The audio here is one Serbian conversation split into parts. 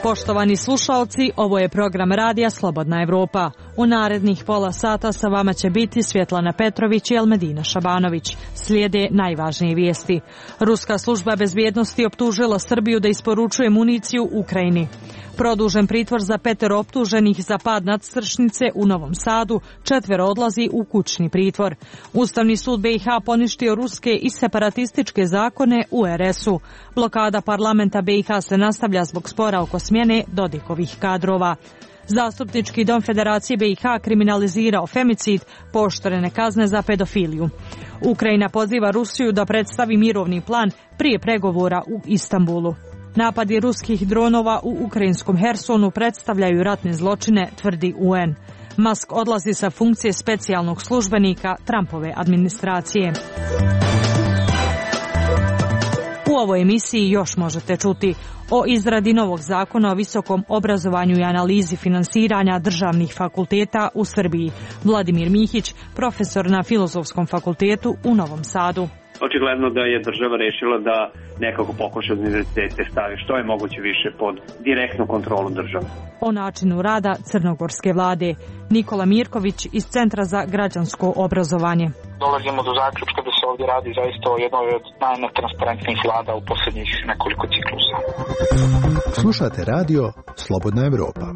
Poštovani slušalci, ovo je program radija Slobodna Evropa. U narednih pola sata sa vama će biti Svjetlana Petrović i Elmedina Šabanović. Slijede najvažnije vijesti. Ruska služba bezbjednosti optužila Srbiju da isporučuje municiju Ukrajini. Produžen pritvor za 5 optuženih za pad nadstrešnice u Novom Sadu, 4 odlazi u kućni pritvor. Ustavni sud BiH poništio ruske i separatističke zakone u RS-u. Blokada parlamenta BiH se nastavlja zbog spora oko smjene Dodikovih kadrova. Zastupnički dom Federacije BiH kriminalizirao femicid, pooštrene kazne za pedofiliju. Ukrajina poziva Rusiju da predstavi mirovni plan prije pregovora u Istanbulu. Napadi ruskih dronova u ukrajinskom Hersonu predstavljaju ratne zločine, tvrdi UN. Musk odlazi sa funkcije specijalnog službenika Trumpove administracije. U ovoj emisiji još možete čuti o izradi novog zakona o visokom obrazovanju i analizi finansiranja državnih fakulteta u Srbiji. Vladimir Mihić, profesor na Filozofskom fakultetu u Novom Sadu. Očigledno da je država rešila da nekako pokuša univerzitete stavi što je moguće više pod direktnu kontrolu države. O načinu rada crnogorske vlade. Nikola Mirković iz Centra za građansko obrazovanje. Dolazimo do zaključka da se ovdje radi zaista o jednoj od najnetransparentnijih vlada u posljednjih nekoliko ciklusa. Slušate radio Slobodna Evropa.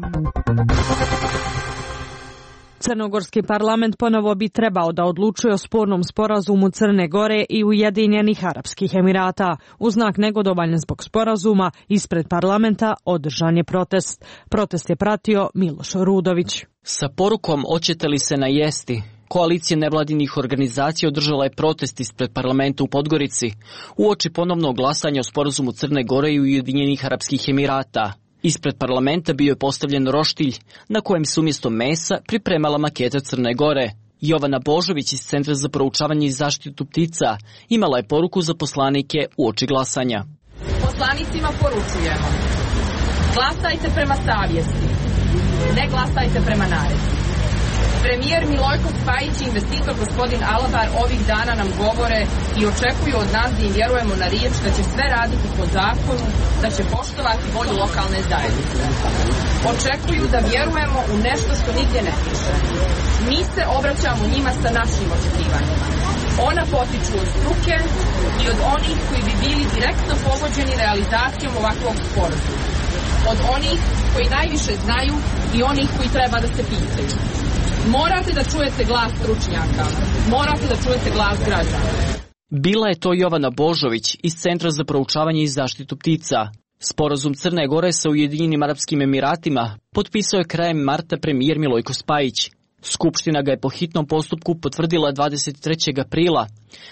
Crnogorski parlament ponovo bi trebao da odlučuje o spornom sporazumu Crne Gore i Ujedinjenih Arapskih Emirata. U znak negodovanja zbog sporazuma, ispred parlamenta održan je protest. Protest je pratio Miloš Rudović. Sa porukom "Hoćete li se najesti?" Koalicija nevladinih organizacija održala je protest ispred parlamenta u Podgorici uoči ponovnog glasanja o sporazumu Crne Gore i Ujedinjenih Arapskih Emirata. Ispred parlamenta bio je postavljen roštilj na kojem se umjesto mesa pripremala maketa Crne Gore. Jovana Božović iz Centra za proučavanje i zaštitu ptica imala je poruku za poslanike uoči glasanja. Poslanicima poručujemo: glasajte prema savjesti, ne glasajte prema naredbi. Premijer Milojko Spajić i investitor gospodin Alabar ovih dana nam govore i očekuju od nas da im vjerujemo na riječ da će sve raditi po zakonu, da će poštovati volju lokalne zajednice. Očekuju da vjerujemo u nešto što nigdje ne piše. Mi se obraćamo njima sa našim očekivanjima. Ona potiču od struke i od onih koji bi bili direktno pogođeni realizacijom ovakvog sporazuma. Od onih koji najviše znaju i onih koji treba da se pitaju. Morate da čujete glas stručnjaka, morate da čujete glas građana. Bila je to Jovana Božović iz Centra za proučavanje i zaštitu ptica. Sporazum Crne Gore sa Ujedinjenim Arapskim Emiratima potpisao je krajem marta premijer Milojko Spajić. Skupština ga je po hitnom postupku potvrdila 23. aprila,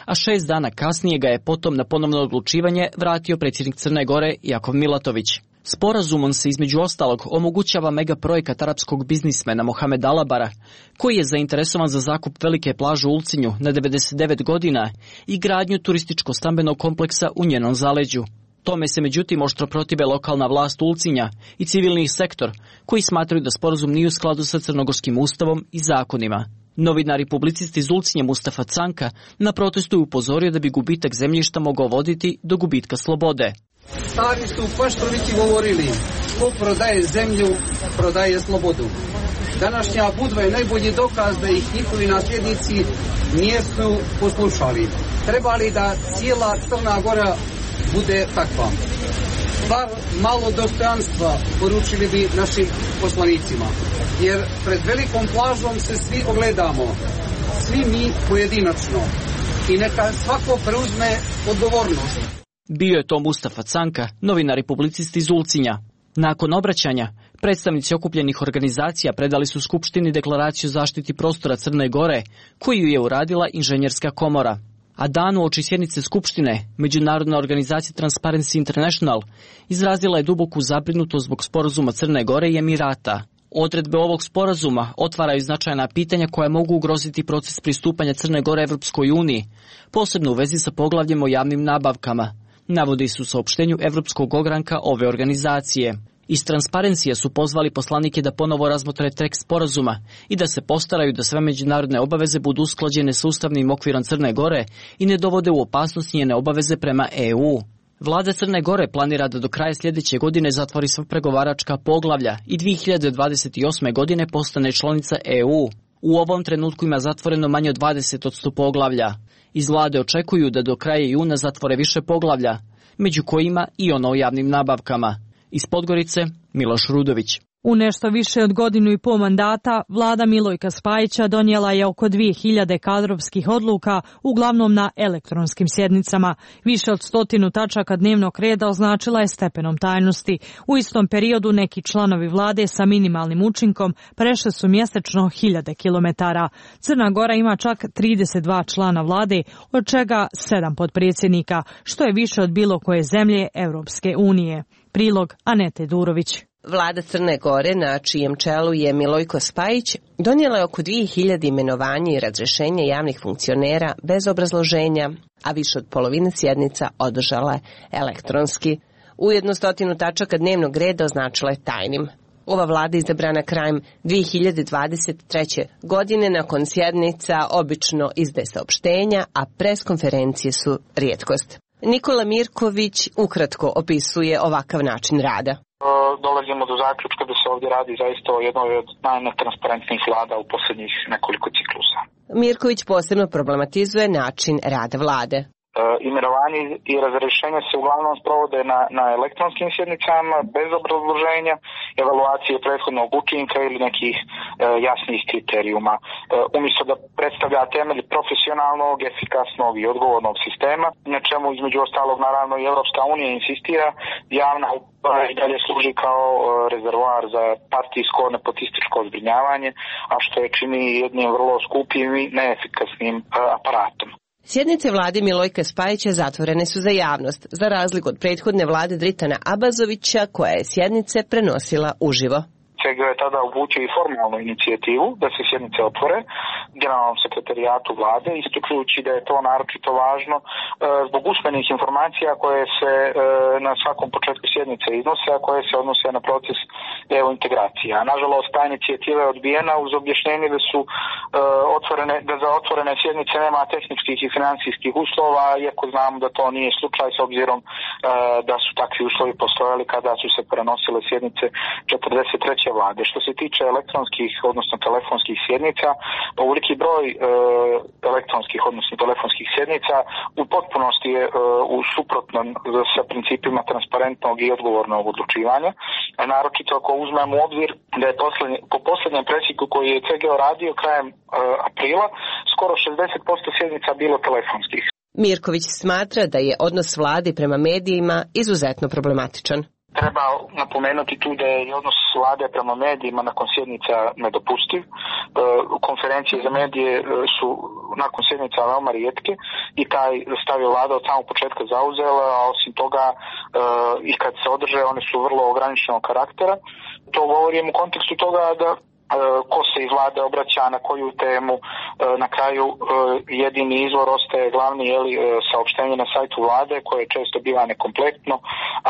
a 6 dana kasnije ga je potom na ponovno odlučivanje vratio predsjednik Crne Gore Jakov Milatović. Sporazumom se između ostalog omogućava megaprojekt arapskog biznismena Mohamed Alabara, koji je zainteresovan za zakup velike plaže u Ulcinju na 99 godina i gradnju turističko-stambenog kompleksa u njenom zaleđu. Tome se međutim oštro protive lokalna vlast Ulcinja i civilni sektor, koji smatraju da sporazum nije u skladu sa crnogorskim ustavom i zakonima. Novinar i publicist iz Ulcinja Mustafa Canka na protestu je upozorio da bi gubitak zemljišta mogao voditi do gubitka slobode. Stari su Paštrovići govorili: ko prodaje zemlju, prodaje slobodu. Današnja Budva je najbolji dokaz da ih njihovi nasljednici nisu poslušali. Treba li da cijela Crna Gora bude takva? Bar malo dostojanstva poručili bi našim poslanicima, jer pred velikom plažom se svi ogledamo, svi mi pojedinačno, i neka svako preuzme odgovornost. Bio je to Mustafa Canka, novinar i publicist iz Ulcinja. Nakon obraćanja, predstavnici okupljenih organizacija predali su Skupštini deklaraciju o zaštiti prostora Crne Gore, koju je uradila Inženjerska komora. A dan uoči sjednice Skupštine, Međunarodna organizacija Transparency International izrazila je duboku zabrinutost zbog sporazuma Crne Gore i Emirata. Odredbe ovog sporazuma otvaraju značajna pitanja koja mogu ugroziti proces pristupanja Crne Gore Evropskoj uniji, posebno u vezi sa poglavljem o javnim nabavkama, navodi se u saopštenju Evropskog ogranka ove organizacije. Iz Transparencija su pozvali poslanike da ponovo razmotre tekst sporazuma i da se postaraju da sve međunarodne obaveze budu usklađene sa ustavnim okvirom Crne Gore i ne dovode u opasnost njene obaveze prema EU. Vlada Crne Gore planira da do kraja sljedeće godine zatvori sva pregovaračka poglavlja i 2028. godine postane članica EU. U ovom trenutku ima zatvoreno manje od 20% poglavlja. Iz vlade očekuju da do kraja juna zatvore više poglavlja, među kojima i ono o javnim nabavkama. Iz Podgorice, Miloš Rudović. U nešto više od godinu i pol mandata, vlada Milojka Spajića donijela je oko 2000 kadrovskih odluka, uglavnom na elektronskim sjednicama. Više od 100 tačaka dnevnog reda označila je stepenom tajnosti. U istom periodu neki članovi vlade sa minimalnim učinkom prešli su mjesečno 1000 kilometara. Crna Gora ima čak 32 člana vlade, od čega 7 potpredsjednika, što je više od bilo koje zemlje Europske unije. Prilog Anete Durović. Vlada Crne Gore, na čijem čelu je Milojko Spajić, donijela je oko 2000 imenovanja i razrješenja javnih funkcionera bez obrazloženja, a više od polovine sjednica održala je elektronski. Ujedno 100 tačaka dnevnog reda označila je tajnim. Ova vlada izabrana krajem 2023. godine nakon sjednica obično izdaje saopštenja, a preskonferencije su rijetkost. Nikola Mirković ukratko opisuje ovakav način rada. Dolazimo do zaključka da se ovdje radi zaista o jednoj od najnetransparentnijih vlada u posljednjih nekoliko ciklusa. Mirković posebno problematizuje način rada vlade. Imenovanje i razrješenja se uglavnom sprovode na elektronskim sjednicama bez obrazloženja, evaluacije prethodnog učinka ili nekih jasnih kriterijuma. Umjesto da predstavlja temelj profesionalnog, efikasnog i odgovornog sistema, na čemu između ostalog naravno i Europska unija insistira, javna uprava i dalje služi kao rezervoar za partijsko nepotističko zbrinjavanje, a što je čini jednim vrlo skupim i neefikasnim aparatom. Sjednice vlade Milojka Spajića zatvorene su za javnost, za razliku od prethodne vlade Dritana Abazovića, koja je sjednice prenosila uživo. CGO je tada uputio i formalnu inicijativu da se sjednice otvore generalnom sekretarijatu vlade, ističujući da je to naročito važno zbog usmenih informacija koje se na svakom početku sjednice iznose, a koje se odnose na proces EU integracija. Nažalost, ta inicijativa je odbijena uz objašnjenje da su da za otvorene sjednice nema tehničkih i financijskih uslova, iako znamo da to nije slučaj s obzirom da su takvi uslovi postojali kada su se prenosile sjednice 43. vlade. Što se tiče elektronskih, odnosno telefonskih sjednica, ovoliki broj elektronskih, odnosno telefonskih sjednica u potpunosti je u suprotnom sa principima transparentnog i odgovornog odlučivanja. Naročito ako uzmemo u obzir da je po posljednjem presjeku koji je CGO radio krajem aprila, skoro 60% sjednica bilo telefonskih. Mirković smatra da je odnos vlade prema medijima izuzetno problematičan. Treba napomenuti tu da je odnos vlade prema medijima nakon sjednica nedopustiv. Konferencije za medije su nakon sjednica veoma rijetke i taj stav je vlada od samog početka zauzela, a osim toga i kad se održe one su vrlo ograničenog karaktera. To govorim u kontekstu toga da ko se iz vlade obraća na koju temu, na kraju jedini izvor ostaje glavni saopštenje na sajtu vlade koje često biva nekompletno,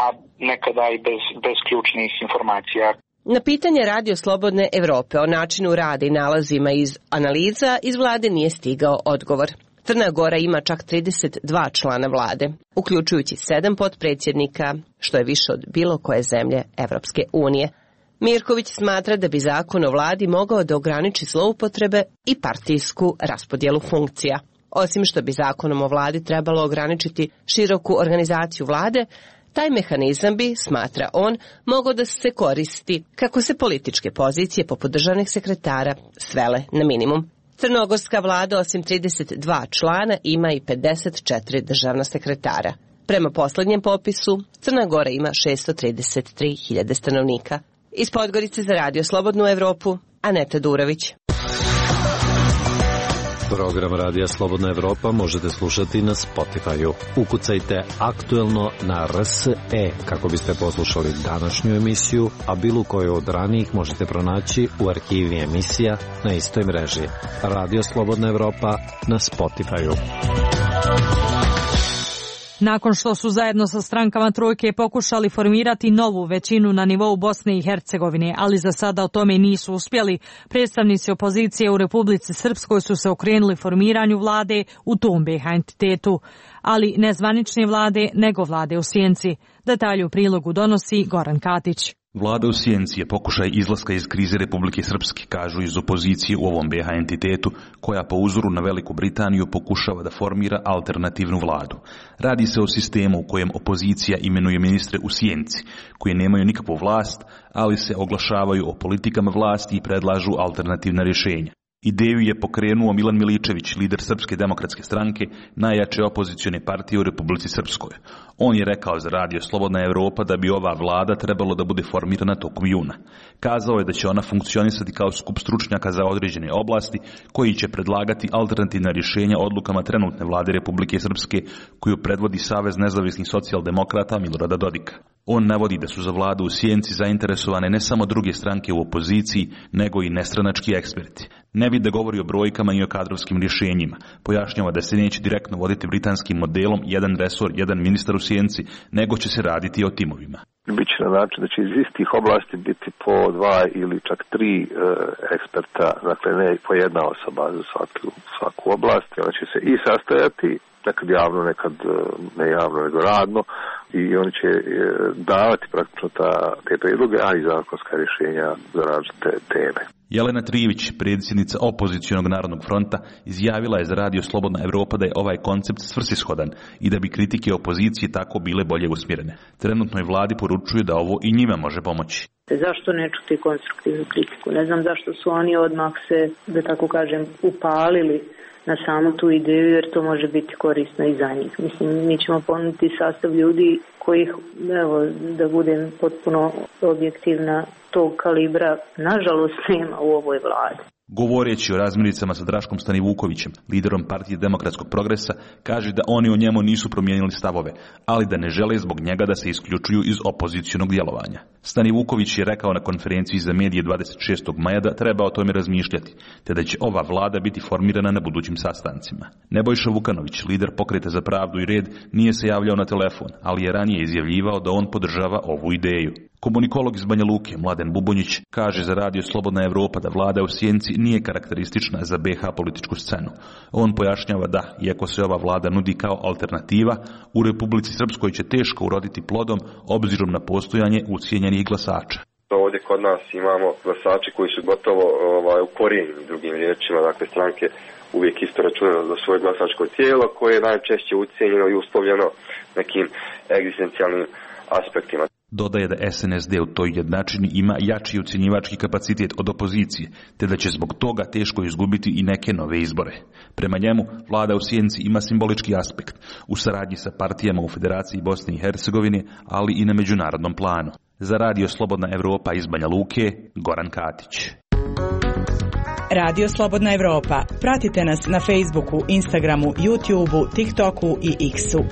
a nekada i bez ključnih informacija. Na pitanje Radio Slobodne Evrope o načinu rada i nalazima iz analiza iz vlade nije stigao odgovor. Crna Gora ima čak 32 člana vlade, uključujući 7 potpredsjednika, što je više od bilo koje zemlje Evropske unije. Mirković smatra da bi zakon o vladi mogao da ograniči zloupotrebe i partijsku raspodjelu funkcija. Osim što bi zakonom o vladi trebalo ograničiti široku organizaciju vlade, taj mehanizam bi, smatra on, mogao da se koristi kako se političke pozicije poput državnih sekretara svele na minimum. Crnogorska vlada osim 32 člana ima i 54 državna sekretara. Prema posljednjem popisu, Crna Gora ima 633.000 stanovnika. Iz Podgorice za Radio Slobodnu Evropu, Aneta Durović. Program Radija Slobodna Evropa možete slušati na Spotify-u. Ukucajte aktuelno na RSE kako biste poslušali današnju emisiju, a bilo koju od ranijih možete pronaći u arhivi emisija na istoj mreži. Radio Slobodna Evropa na Spotify-u. Nakon što su zajedno sa strankama trojke pokušali formirati novu većinu na nivou Bosne i Hercegovine, ali za sada o tome nisu uspjeli, predstavnici opozicije u Republici Srpskoj su se okrenuli formiranju vlade u tom BiH entitetu, ali ne zvanične vlade, nego vlade u sjenci. Detalje u prilogu donosi Goran Katić. Vlada u sjenci je pokušaj izlaska iz krize Republike Srpske, kažu iz opozicije u ovom BiH entitetu, koja po uzoru na Veliku Britaniju pokušava da formira alternativnu vladu. Radi se o sistemu u kojem opozicija imenuje ministre u sjenci, koji nemaju nikakvu vlast, ali se oglašavaju o politikama vlasti i predlažu alternativna rješenja. Ideju je pokrenuo Milan Miličević, lider Srpske demokratske stranke, najjače opozicione partije u Republici Srpskoj. On je rekao za radio Slobodna Evropa da bi ova vlada trebalo da bude formirana tokom juna. Kazao je da će ona funkcionisati kao skup stručnjaka za određene oblasti koji će predlagati alternativna rješenja odlukama trenutne vlade Republike Srpske koju predvodi Savez nezavisnih socijaldemokrata Milorada Dodika. On navodi da su za vladu u sjenci zainteresovane ne samo druge stranke u opoziciji, nego i nestranački eksperti. Ne vidi da govori o brojkama i o kadrovskim rješenjima. Pojašnjava da se neće direktno voditi britanskim modelom jedan resor, jedan ministar u sjenci, nego će se raditi o timovima. Biće na način da će iz istih oblasti biti po 2 ili čak 3 eksperta, dakle ne po jedna osoba za svaku oblast. Ona će se i sastajati, nekad javno, nekad ne javno, nego radno, i oni će davati praktično te predloge, a i zakonska rješenja za različite teme. Jelena Trivić, predsjednica opozicionog Narodnog fronta, izjavila je za radio Slobodna Evropa da je ovaj koncept svrsishodan i da bi kritike opozicije tako bile bolje usmjerene. Trenutnoj vladi poručuju da ovo i njima može pomoći. Zašto ne čuti konstruktivnu kritiku? Ne znam zašto su oni odmah se, da tako kažem, upalili na samu tu ideju, jer to može biti korisno i za njih. Mislim, mi ćemo ponuditi sastav ljudi kojih, evo, da budem potpuno objektivna, tog kalibra, nažalost, nema u ovoj vladi. Govoreći o razmiricama sa Draškom Stanivukovićem, liderom Partije demokratskog progresa, kaže da oni o njemu nisu promijenili stavove, ali da ne žele zbog njega da se isključuju iz opozicionog djelovanja. Stanivuković je rekao na konferenciji za medije 26. maja da treba o tome razmišljati, te da će ova vlada biti formirana na budućim sastancima. Nebojša Vukanović, lider Pokreta za pravdu i red, nije se javljao na telefon, ali je ranije izjavljivao da on podržava ovu ideju. Komunikolog iz Banja Luke, Mladen Bubonjić, kaže za radio Slobodna Evropa da vlada u sjenci nije karakteristična za BiH političku scenu. On pojašnjava da, iako se ova vlada nudi kao alternativa, u Republici Srpskoj će teško uroditi plodom obzirom na postojanje ucijenjenih glasača. Ovdje kod nas imamo glasače koji su gotovo ukorijenjeni, drugim riječima, dakle stranke uvijek isto računaju za svoje glasačko tijelo koje je najčešće ucijenjeno i uslovljeno nekim egzistencijalnim aspektima. Dodaje da SNSD u toj jednačini ima jači ucjenjivački kapacitet od opozicije, te da će zbog toga teško izgubiti i neke nove izbore. Prema njemu, vlada u sjenci ima simbolički aspekt u saradnji sa partijama u Federaciji Bosne i Hercegovine, ali i na međunarodnom planu. Za radio Slobodna Evropa iz Banja Luke, Goran Katić. Radio Slobodna Evropa. Pratite nas na Facebooku, Instagramu, YouTubeu, TikToku i X-u.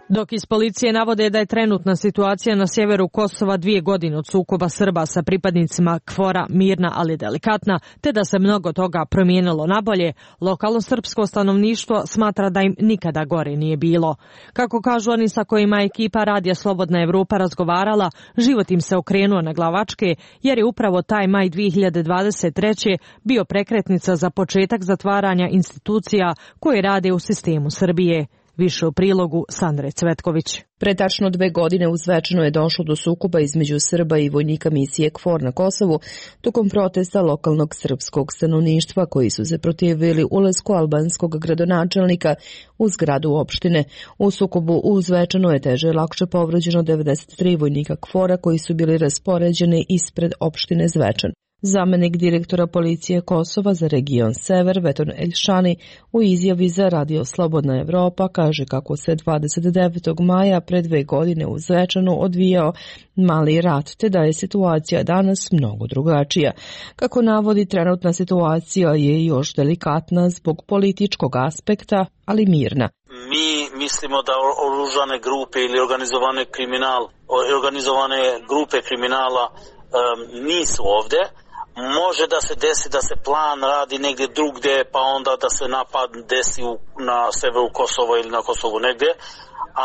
Dok iz policije navode da je trenutna situacija na sjeveru Kosova 2 godine od sukoba Srba sa pripadnicima KFOR-a mirna ali delikatna, te da se mnogo toga promijenilo nabolje, lokalno srpsko stanovništvo smatra da im nikada gore nije bilo. Kako kažu oni sa kojima je ekipa Radija Slobodna Evropa razgovarala, život im se okrenuo na glavačke, jer je upravo taj maj 2023. bio prekretnica za početak zatvaranja institucija koje rade u sistemu Srbije. Više u prilogu Sandre Cvetković. Pre tačno 2 godine u Zvečanu je došlo do sukoba između Srba i vojnika misije KFOR na Kosovu tokom protesta lokalnog srpskog stanovništva koji su se protivili ulasku albanskog gradonačelnika u zgradu opštine. U sukobu u Zvečanu je teže lakše povređeno 93 vojnika KFOR-a koji su bili raspoređeni ispred opštine Zvečan. Zamenik direktora policije Kosova za region Sever, Veton Elšani, u izjavi za Radio Slobodna Evropa kaže kako se 29. maja pre 2 godine u Zvečanu odvijao mali rat, te da je situacija danas mnogo drugačija. Kako navodi, trenutna situacija je još delikatna zbog političkog aspekta, ali mirna. Mi mislimo da oružane grupe ili organizovane grupe kriminala nisu ovdje, Može da se desi da se plan radi negdje drugdje, pa onda da se napad desi na severu Kosova ili na Kosovu negdje,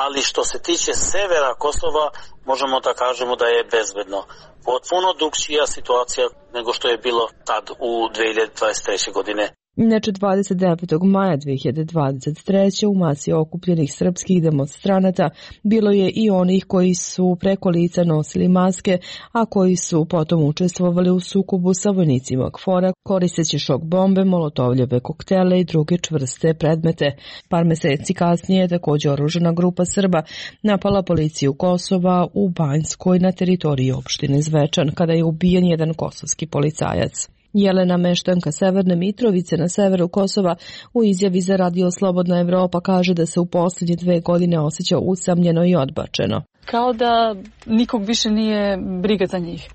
ali što se tiče severa Kosova, možemo da kažemo da je bezbedno. Potpuno drugčija situacija nego što je bilo tad u 2023. godine. Inače, 29. maja 2023. u masi okupljenih srpskih demonstranata bilo je i onih koji su preko lica nosili maske, a koji su potom učestvovali u sukobu sa vojnicima KFOR-a koristeći šok bombe, molotovljeve koktele i druge čvrste predmete. Par meseci kasnije je također oružana grupa Srba napala policiju Kosova u Banjskoj na teritoriji opštine Zvečan, kada je ubijen jedan kosovski policajac. Jelena, meštanka Severne Mitrovice na severu Kosova, u izjavi za Radio Slobodna Evropa kaže da se u posljednje 2 godine osjeća usamljeno i odbačeno. Kao da nikog više nije briga za njih.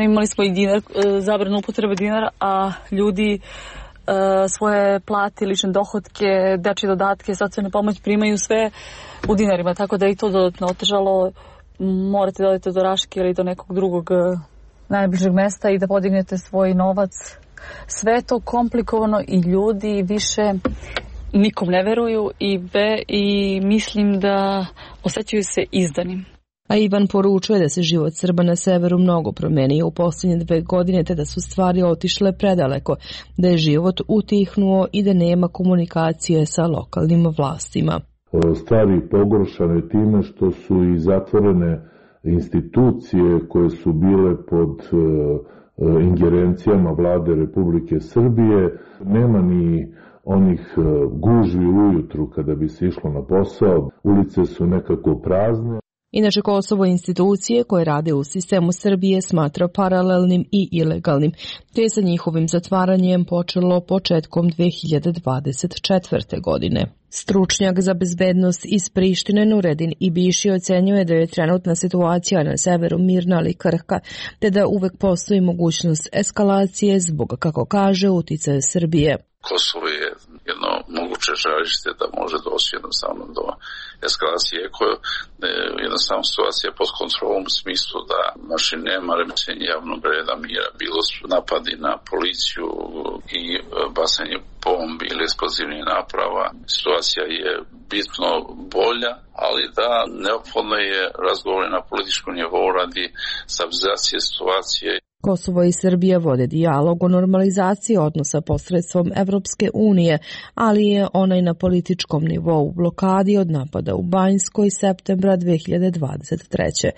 Imali smo i dinar, zabranu upotrebe dinara, a ljudi svoje plate, lične dohotke, dečje dodatke, socijalne pomoć primaju sve u dinarima, tako da je i to dodatno otežalo. Morate da odete do Raške ili do nekog drugog najbližeg mesta i da podignete svoj novac. Sve je to komplikovano i ljudi više nikom ne veruju i mislim da osjećaju se izdanim. A Ivan poručuje da se život Srba na severu mnogo promenio u posljednje 2 godine, te da su stvari otišle predaleko, da je život utihnuo i da nema komunikacije sa lokalnim vlastima. Stvari pogoršane time što su i zatvorene institucije koje su bile pod ingerencijama vlade Republike Srbije. Nema ni onih gužvi ujutru kada bi se išlo na posao. Ulice su nekako prazne. Inače, Kosovo institucije koje rade u sistemu Srbije smatra paralelnim i ilegalnim, te je sa njihovim zatvaranjem počelo početkom 2024. godine. Stručnjak za bezbednost iz Prištine Nuredin Ibiši ocenjuje da je trenutna situacija na severu mirna ali krhka, te da uvek postoji mogućnost eskalacije zbog, kako kaže, uticaja Srbije. Kosovo je jedno moguće žarište da može doći jednostavno do eskalacije, koja jednostavno situacija pod kontrolom u smislu da nema remećenja javnog reda mira, bilo su napadi na policiju i bacanje bombi ili eksplozivnih naprava. Situacija je bitno bolja, ali da neophodno je razgovor na političkom nivou radi stabilizacije situacije. Kosovo i Srbija vode dijalog o normalizaciji odnosa posredstvom Evropske unije, ali je onaj na političkom nivou u blokadi od napada u Banjskoj septembra 2023.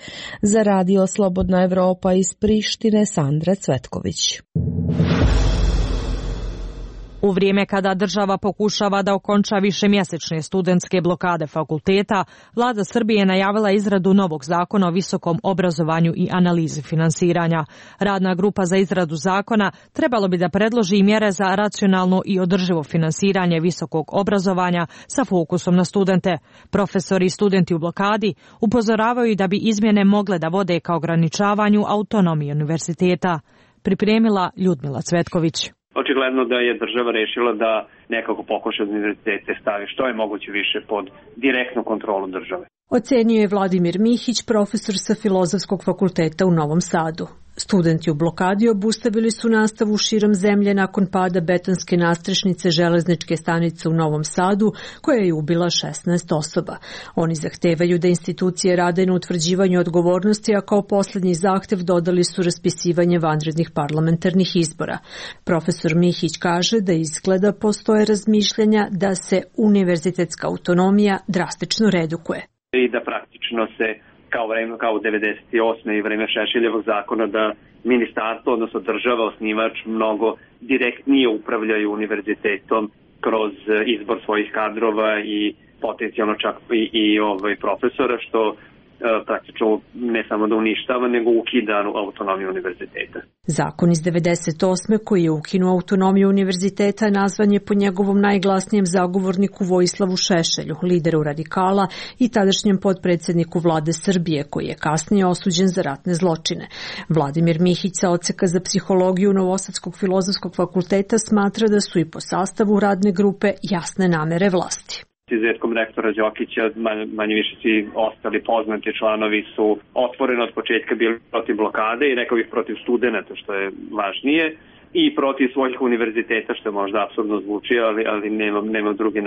Za Radio Slobodna Evropa iz Prištine, Sandra Cvetković. U vrijeme kada država pokušava da okonča višemjesečne studentske blokade fakulteta, vlada Srbije je najavila izradu novog zakona o visokom obrazovanju i analizi finansiranja. Radna grupa za izradu zakona trebalo bi da predloži mjere za racionalno i održivo finansiranje visokog obrazovanja sa fokusom na studente. Profesori i studenti u blokadi upozoravaju da bi izmjene mogle da vode ka ograničavanju autonomije univerziteta. Pripremila Ljudmila Cvetković. Očigledno da je država rešila da nekako pokuša univerzitete stavi što je moguće više pod direktnu kontrolu države. Ocenio je Vladimir Mihić, profesor sa Filozofskog fakulteta u Novom Sadu. Studenti u blokadi obustavili su nastavu širom zemlje nakon pada betonske nastrešnice železničke stanice u Novom Sadu, koja je ubila 16 osoba. Oni zahtevaju da institucije rade na utvrđivanju odgovornosti, a kao poslednji zahtev dodali su raspisivanje vanrednih parlamentarnih izbora. Profesor Mihić kaže da izgleda postoje razmišljanja da se univerzitetska autonomija drastično redukuje. I da praktično se kao u 98. i vreme Šešeljevog zakona da ministarstvo, odnosno država, osnivač, mnogo direktnije upravljaju univerzitetom kroz izbor svojih kadrova i potencijalno čak i profesora, što praktično ne samo da uništava, nego ukida autonomiju univerziteta. Zakon iz 98. koji je ukinuo autonomiju univerziteta nazvan je po njegovom najglasnijem zagovorniku Vojislavu Šešelju, lideru radikala i tadašnjem potpredsjedniku vlade Srbije, koji je kasnije osuđen za ratne zločine. Vladimir Mihić sa odseka za psihologiju Novosadskog filozofskog fakulteta smatra da su i po sastavu radne grupe jasne namere vlasti. Izuzetkom rektora Đokića, manje više svi ostali poznati članovi su otvoreno od početka bili protiv blokade i rekao bih protiv studenta, što je važnije, i protiv svojih univerziteta, što je možda apsurdno zvuči, ali nema drugi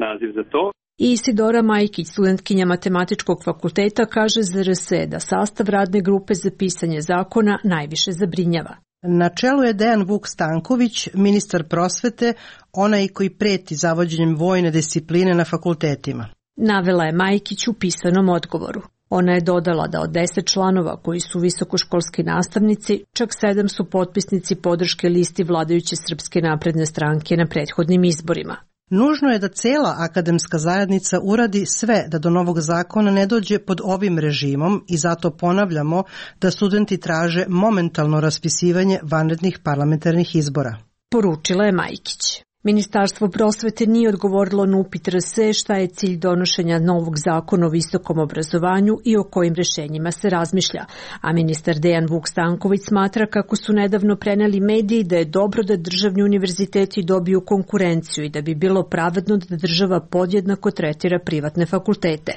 naziv za to. I Isidora Majkić, studentkinja Matematičkog fakulteta, kaže za RSE da sastav radne grupe za pisanje zakona najviše zabrinjava. Na čelu je Dejan Vuk Stanković, ministar prosvete, onaj koji preti zavođenjem vojne discipline na fakultetima. Navela je Majkić u pisanom odgovoru. Ona je dodala da od 10 članova koji su visokoškolski nastavnici, čak 7 su potpisnici podrške listi vladajuće Srpske napredne stranke na prethodnim izborima. Nužno je da cela akademska zajednica uradi sve da do novog zakona ne dođe pod ovim režimom i zato ponavljamo da studenti traže momentalno raspisivanje vanrednih parlamentarnih izbora. Poručila je Majkić. Ministarstvo prosvete nije odgovorilo na upit RSE šta je cilj donošenja novog zakona o visokom obrazovanju i o kojim rešenjima se razmišlja, a ministar Dejan Vuk Stanković smatra kako su nedavno preneli mediji da je dobro da državni univerziteti dobiju konkurenciju i da bi bilo pravedno da država podjednako tretira privatne fakultete.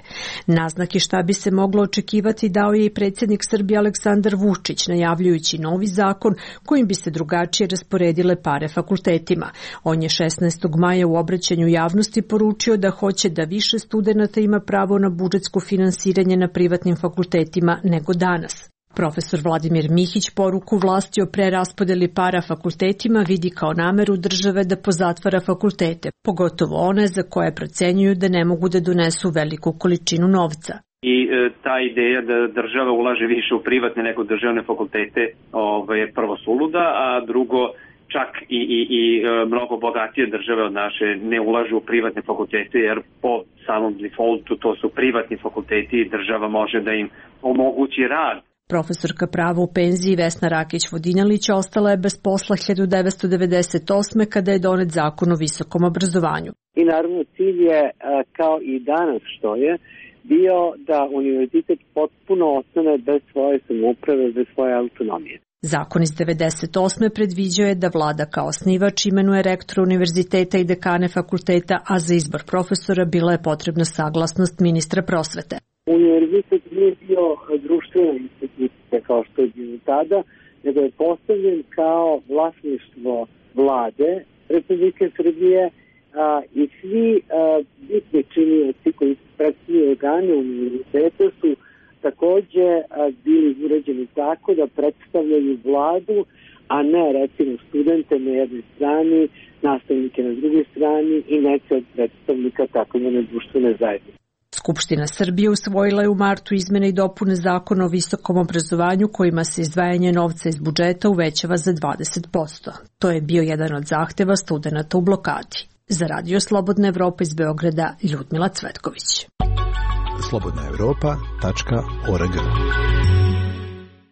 Naznake šta bi se moglo očekivati dao je i predsjednik Srbije Aleksandar Vučić, najavljujući novi zakon kojim bi se drugačije rasporedile pare fakultetima. On je 16. maja u obraćanju javnosti poručio da hoće da više studenata ima pravo na budžetsko finansiranje na privatnim fakultetima nego danas. Profesor Vladimir Mihić poruku vlasti o preraspodeli para fakultetima vidi kao nameru države da pozatvara fakultete, pogotovo one za koje procenjuju da ne mogu da donesu veliku količinu novca. I ta ideja da država ulaže više u privatne nego državne fakultete je prvo suluda, a drugo čak i mnogo bogatije države od naše ne ulažu u privatne fakultete jer po samom defaultu to su privatni fakulteti i država može da im omogući rad. Profesorka prava u penziji Vesna Rakić-Vodinjalić ostala je bez posla 1998. kada je donet zakon o visokom obrazovanju. I naravno cilj je, kao i danas što je, bio da univerzitet potpuno ostane bez svoje samouprave, bez svoje autonomije. Zakon iz 1998. predviđao je da vlada kao osnivač imenuje rektora univerziteta i dekane fakulteta, a za izbor profesora bila je potrebna saglasnost ministra prosvete. Univerzitet nije bio društvena institucija kao što je bilo tada, nego je postavljen kao vlasništvo vlade Republike Srbije i svi bitni činioci koji predstavljaju organe univerziteta su takođe bili uređeni tako da predstavljaju vladu, a ne recimo studente na jednoj strani, nastavnike na drugoj strani i neke od predstavnika takozvane društvene zajednice. Skupština Srbije usvojila je u martu izmene i dopune zakona o visokom obrazovanju kojima se izdvajanje novca iz budžeta uvećava za 20%. To je bio jedan od zahteva studenata u blokadi. Za Radio Slobodna Evropa iz Beograda, Ljudmila Cvetković. slobodnaevropa.org.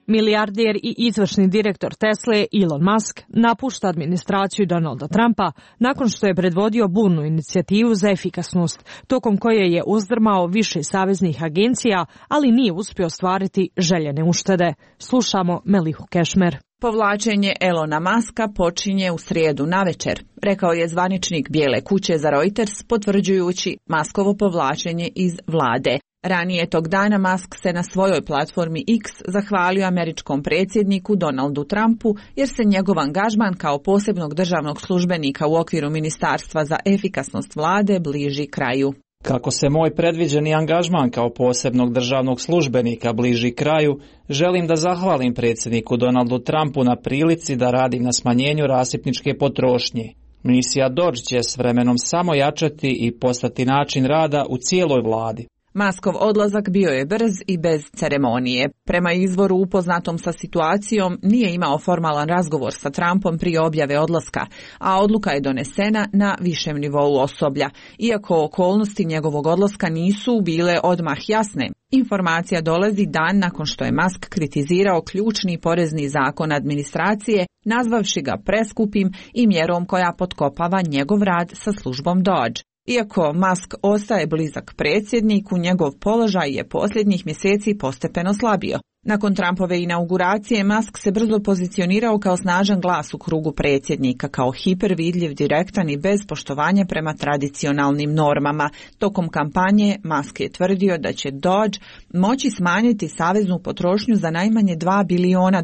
Milijarder i izvršni direktor Tesle Elon Musk napušta administraciju Donalda Trumpa nakon što je predvodio burnu inicijativu za efikasnost, tokom koje je uzdrmao više saveznih agencija, ali nije uspio ostvariti željene uštede. Slušamo Melihu Kešmer. Povlačenje Elona Muska počinje u srijedu navečer, rekao je zvaničnik Bijele kuće za Reuters, potvrđujući Muskovo povlačenje iz vlade. Ranije tog dana Musk se na svojoj platformi X zahvalio američkom predsjedniku Donaldu Trumpu jer se njegov angažman kao posebnog državnog službenika u okviru Ministarstva za efikasnost vlade bliži kraju. Kako se moj predviđeni angažman kao posebnog državnog službenika bliži kraju, želim da zahvalim predsjedniku Donaldu Trumpu na prilici da radim na smanjenju rasipničke potrošnje. Misija Dodge će s vremenom samo jačati i postati način rada u cijeloj vladi. Muskov odlazak bio je brz i bez ceremonije. Prema izvoru upoznatom sa situacijom nije imao formalan razgovor sa Trumpom prije objave odlaska, a odluka je donesena na višem nivou osoblja. Iako okolnosti njegovog odlaska nisu bile odmah jasne, informacija dolazi dan nakon što je Musk kritizirao ključni porezni zakon administracije, nazvavši ga preskupim i mjerom koja potkopava njegov rad sa službom Dodge. Iako Musk ostaje blizak predsjedniku, njegov položaj je posljednjih mjeseci postepeno slabio. Nakon Trumpove inauguracije, Musk se brzo pozicionirao kao snažan glas u krugu predsjednika, kao hipervidljiv, direktan i bez poštovanja prema tradicionalnim normama. Tokom kampanje Musk je tvrdio da će Dodge moći smanjiti saveznu potrošnju za najmanje $2 biliona.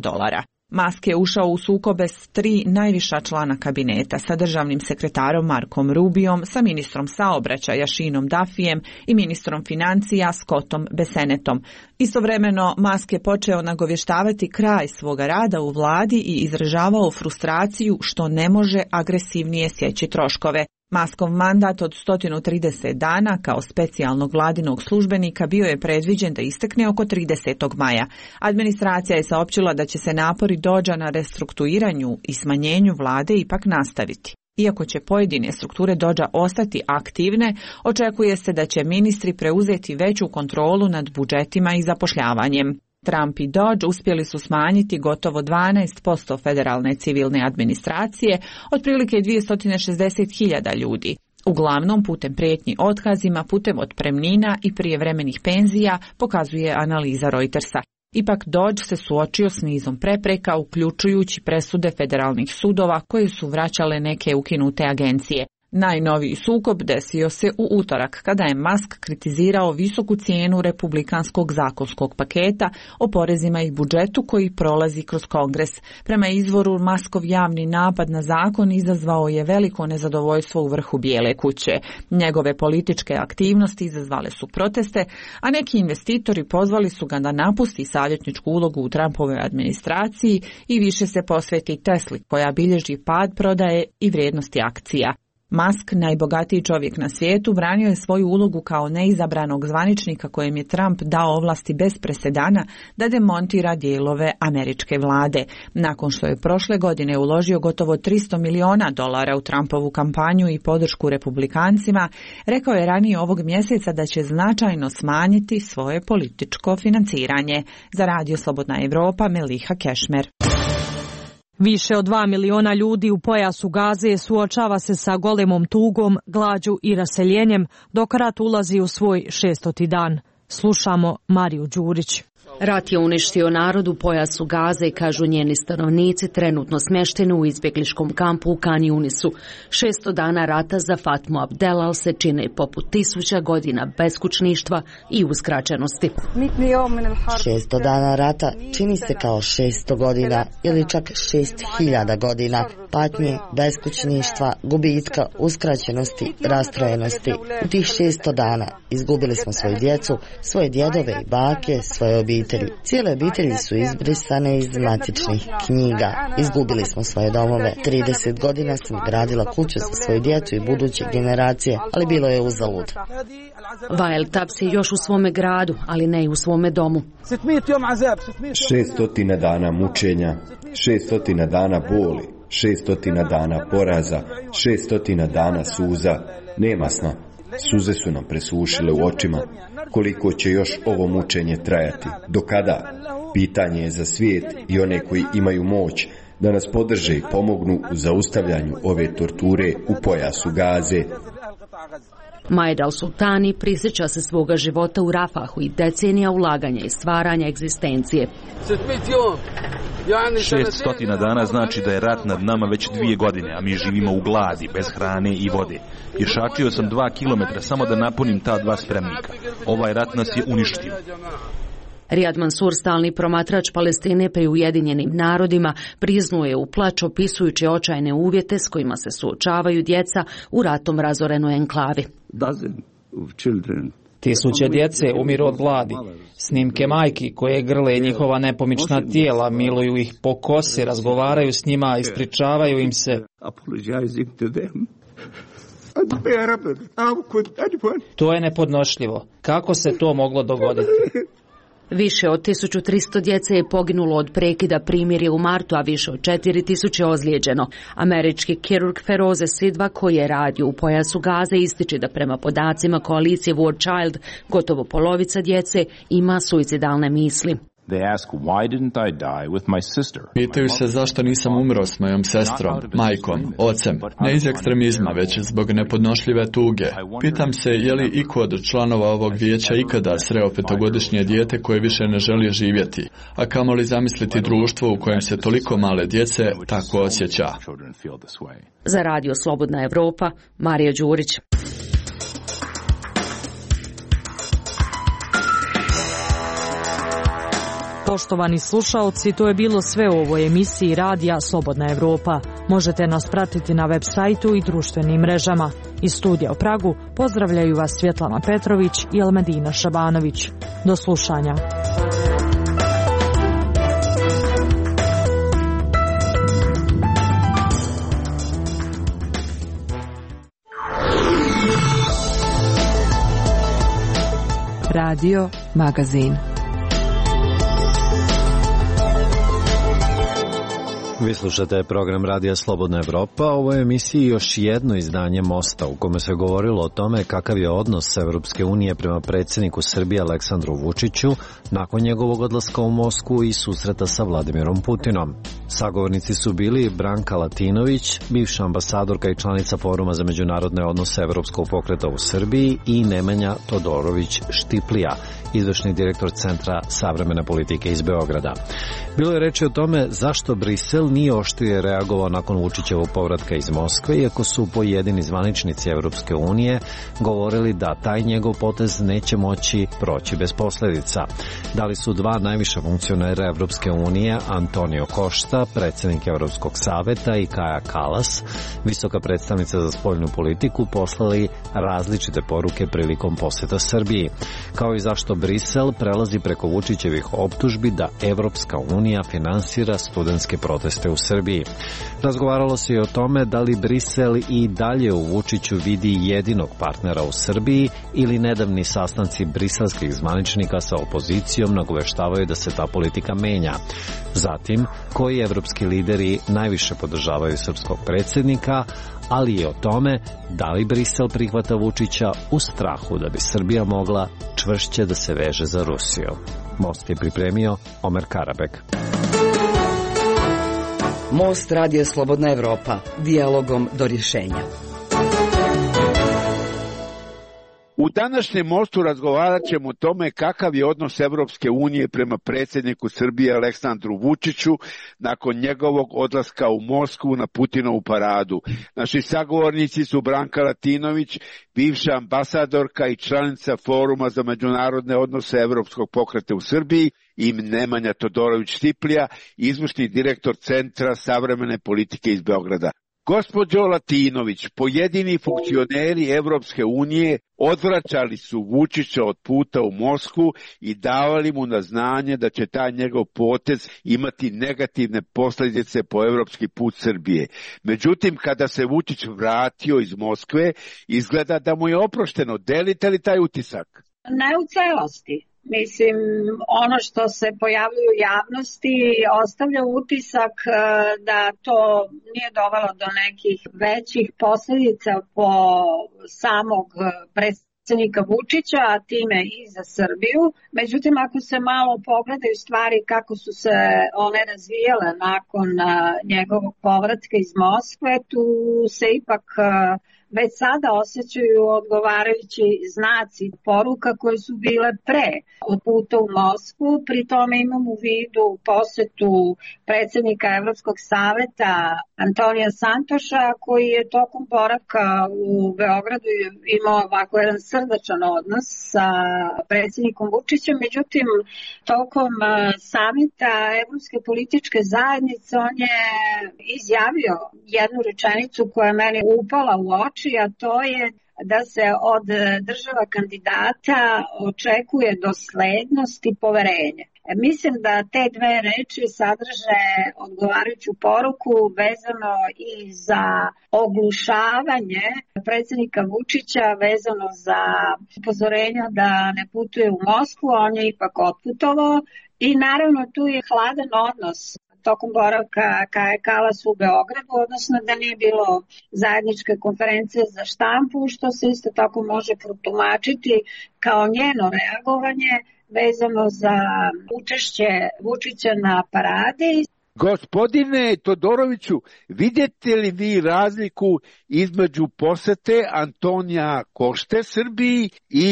Musk je ušao u sukobe s 3 najviša člana kabineta, sa državnim sekretarom Markom Rubiom, sa ministrom saobraćaja Seanom Duffyem i ministrom financija Scottom Bessenettom. Istovremeno, Musk je počeo nagovještavati kraj svoga rada u vladi i izražavao frustraciju što ne može agresivnije sjeći troškove. Muskov mandat od 130 dana kao specijalnog vladinog službenika bio je predviđen da istekne oko 30. maja. Administracija je saopćila da će se napori Dodgea na restrukturiranju i smanjenju vlade ipak nastaviti. Iako će pojedine strukture Dodgea ostati aktivne, očekuje se da će ministri preuzeti veću kontrolu nad budžetima i zapošljavanjem. Trump i Dodge uspjeli su smanjiti gotovo 12% federalne civilne administracije, otprilike 260.000 ljudi. Uglavnom putem prijetnji otkazima, putem otpremnina i prijevremenih penzija, pokazuje analiza Reutersa. Ipak Dodge se suočio s nizom prepreka, uključujući presude federalnih sudova koje su vraćale neke ukinute agencije. Najnoviji sukob desio se u utorak, kada je Musk kritizirao visoku cijenu republikanskog zakonskog paketa o porezima i budžetu koji prolazi kroz Kongres. Prema izvoru, Muskov javni napad na zakon izazvao je veliko nezadovoljstvo u vrhu Bijele kuće. Njegove političke aktivnosti izazvale su proteste, a neki investitori pozvali su ga da napusti savjetničku ulogu u Trumpovoj administraciji i više se posveti Tesli, koja bilježi pad prodaje i vrijednosti akcija. Musk, najbogatiji čovjek na svijetu, branio je svoju ulogu kao neizabranog zvaničnika kojem je Trump dao ovlasti bez presedana da demontira dijelove američke vlade. Nakon što je prošle godine uložio gotovo $300 miliona u Trumpovu kampanju i podršku republikancima, rekao je ranije ovog mjeseca da će značajno smanjiti svoje političko financiranje. Za Radio Slobodna Evropa, Meliha Kešmer. Više od 2 miliona ljudi u pojasu Gaze suočava se sa golemom tugom, glađu i raseljenjem, dok rat ulazi u svoj 600. dan. Slušamo Mariju Đurić. Rat je uništio narod u pojasu Gaze, kažu njeni stanovnici, trenutno smješteni u izbjegličkom kampu u Kan Yunisu. 600 dana rata za Fatmu Abdelal se čine poput 1000 godina beskućništva i uskraćenosti. 600 dana rata čini se kao 600 godina ili čak 6000 godina patnje, beskućništva, gubitka, uskraćenosti, rastrojenosti. U tih 600 dana izgubili smo svoju djecu, svoje djedove i bake, svoje obitelji. Cijele obitelji su izbrisane iz matičnih knjiga. Izgubili smo svoje domove. 30 godina sam gradila kuću za svoju djecu i buduće generacije, ali bilo je uzalud. Vael Tabs je još u svome gradu, ali ne i u svome domu. 600 dana mučenja, 600 dana boli, 600 dana poraza, 600 dana suza. Nema sna. Suze su nam presušile u očima. Koliko će još ovo mučenje trajati? Do kada? Pitanje je za svijet i one koji imaju moć da nas podrže i pomognu u zaustavljanju ove torture u pojasu Gaze. Majed al-Sultani prisjeća se svoga života u Rafahu i decenija ulaganja i stvaranja egzistencije. 600 dana znači da je rat nad nama već 2 godine, a mi živimo u gladi, bez hrane i vode. Pješačio sam 2 kilometra samo da napunim ta 2 spremnika. Ovaj rat nas je uništio. Riyad Mansour, stalni promatrač Palestine pri Ujedinjenim narodima, priznuje u plač opisujući očajne uvjete s kojima se suočavaju djeca u ratom razorenoj enklavi. Tisuće djece umiru od gladi. Snimke majki koje grle njihova nepomična tijela, miluju ih po kosi, razgovaraju s njima, ispričavaju im se. To je nepodnošljivo. Kako se to moglo dogoditi? Više od 1300 djece je poginulo od prekida primirja u martu, a više od 4000 ozlijeđeno. Američki kirurg Feroze Sidva, koji je radio u pojasu Gaze, ističe da prema podacima koalicije War Child gotovo polovica djece ima suicidalne misli. Pitaju se zašto nisam umro s mojom sestrom, majkom, ocem, ne iz ekstremizma, već zbog nepodnošljive tuge. Pitam se je li iko od članova ovog vijeća ikada sreo 5-godišnje dijete koje više ne želi živjeti, a kamoli zamisliti društvo u kojem se toliko male djece tako osjeća. Za Radio Slobodna Evropa, Marija Đurić. Poštovani slušaoci, to je bilo sve u ovoj emisiji Radija Slobodna Evropa. Možete nas pratiti na web sajtu i društvenim mrežama. Iz studija u Pragu pozdravljaju vas Svjetlana Petrović i Elmedina Šabanović. Do slušanja. Radio Magazin. Vi slušate program Radija Slobodna Evropa. Ovo je emisiji još jedno izdanje Mosta u kome se govorilo o tome kakav je odnos Evropske unije prema predsjedniku Srbije Aleksandru Vučiću nakon njegovog odlaska u Moskvu i susreta sa Vladimirom Putinom. Sagovornici su bili Branka Latinović, bivša ambasadorka i članica Foruma za međunarodne odnose Evropskog pokreta u Srbiji, i Nemanja Todorović Štiplija, izvršni direktor Centra savremene politike iz Beograda. Bilo je reči o tome zašto Brisel nije oštrije reagovao nakon Vučićevog povratka iz Moskve, iako su pojedini zvaničnici Evropske unije govorili da taj njegov potez neće moći proći bez posljedica. Da li su dva najviša funkcionera Evropske unije, Antonio Costa, predsjednik Evropskog saveta, i Kaja Kallas, visoka predstavnica za spoljnu politiku, poslali različite poruke prilikom posjeta Srbiji, kao i zašto Brisel prelazi preko Vučićevih optužbi da Evropska unija finansira studentske proteste u Srbiji. Razgovaralo se i o tome da li Brisel i dalje u Vučiću vidi jedinog partnera u Srbiji ili nedavni sastanci briselskih zvaničnika sa opozicijom nagoveštavaju da se ta politika menja. Zatim, koji evropski lideri najviše podržavaju srpskog predsjednika, ali i o tome da li Brisel prihvata Vučića u strahu da bi Srbija mogla čvršće da se veže za Rusiju. Most je pripremio Omer Karabek. Most Radio Slobodna Evropa, dijalogom do rješenja. U današnjem Mostu razgovarat ćemo o tome kakav je odnos Evropske unije prema predsjedniku Srbije Aleksandru Vučiću nakon njegovog odlaska u Moskvu na Putinovu paradu. Naši sagovornici su Branka Latinović, bivša ambasadorka i članica Foruma za međunarodne odnose Evropskog pokreta u Srbiji, i Nemanja Todorović Štiplija, izvršni direktor Centra savremene politike iz Beograda. Gospođo Latinović, pojedini funkcioneri Evropske unije odvraćali su Vučića od puta u Moskvu i davali mu na znanje da će taj njegov potez imati negativne posljedice po evropski put Srbije. Međutim, kada se Vučić vratio iz Moskve, izgleda da mu je oprošteno. Delite li taj utisak? Ne u celosti. Mislim, ono što se pojavljuje u javnosti ostavlja utisak da to nije dovelo do nekih većih posljedica po samog predsjednika Vučića, a time i za Srbiju. Međutim, ako se malo pogledaju stvari kako su se one razvijale nakon njegovog povratka iz Moskve, tu se ipak već sada osjećaju odgovarajući znaci poruka koje su bile pre od puta u Moskvu. Pri tome imam u vidu posjetu predsjednika Evropskog saveta Antonija Santoša, koji je tokom boravka u Beogradu imao ovako jedan srdačan odnos sa predsjednikom Vučićem. Međutim, tokom samita Evropske političke zajednice on je izjavio jednu rečenicu koja je meni upala u oči, a to je da se od država kandidata očekuje doslednost i poverenje. Mislim da te dve reči sadrže odgovarajuću poruku vezano i za oglušavanje predsjednika Vučića, vezano za upozorenja da ne putuje u Moskvu, on je ipak otputovao, i naravno tu je hladan odnos tokom boravka Kaje Kallas u Beogradu, odnosno da nije bilo zajedničke konferencije za štampu, što se isto tako može protumačiti kao njeno reagovanje vezano za učešće Vučića na paradi. Gospodine Todoroviću, vidite li vi razliku između posete Antonija Košte Srbiji i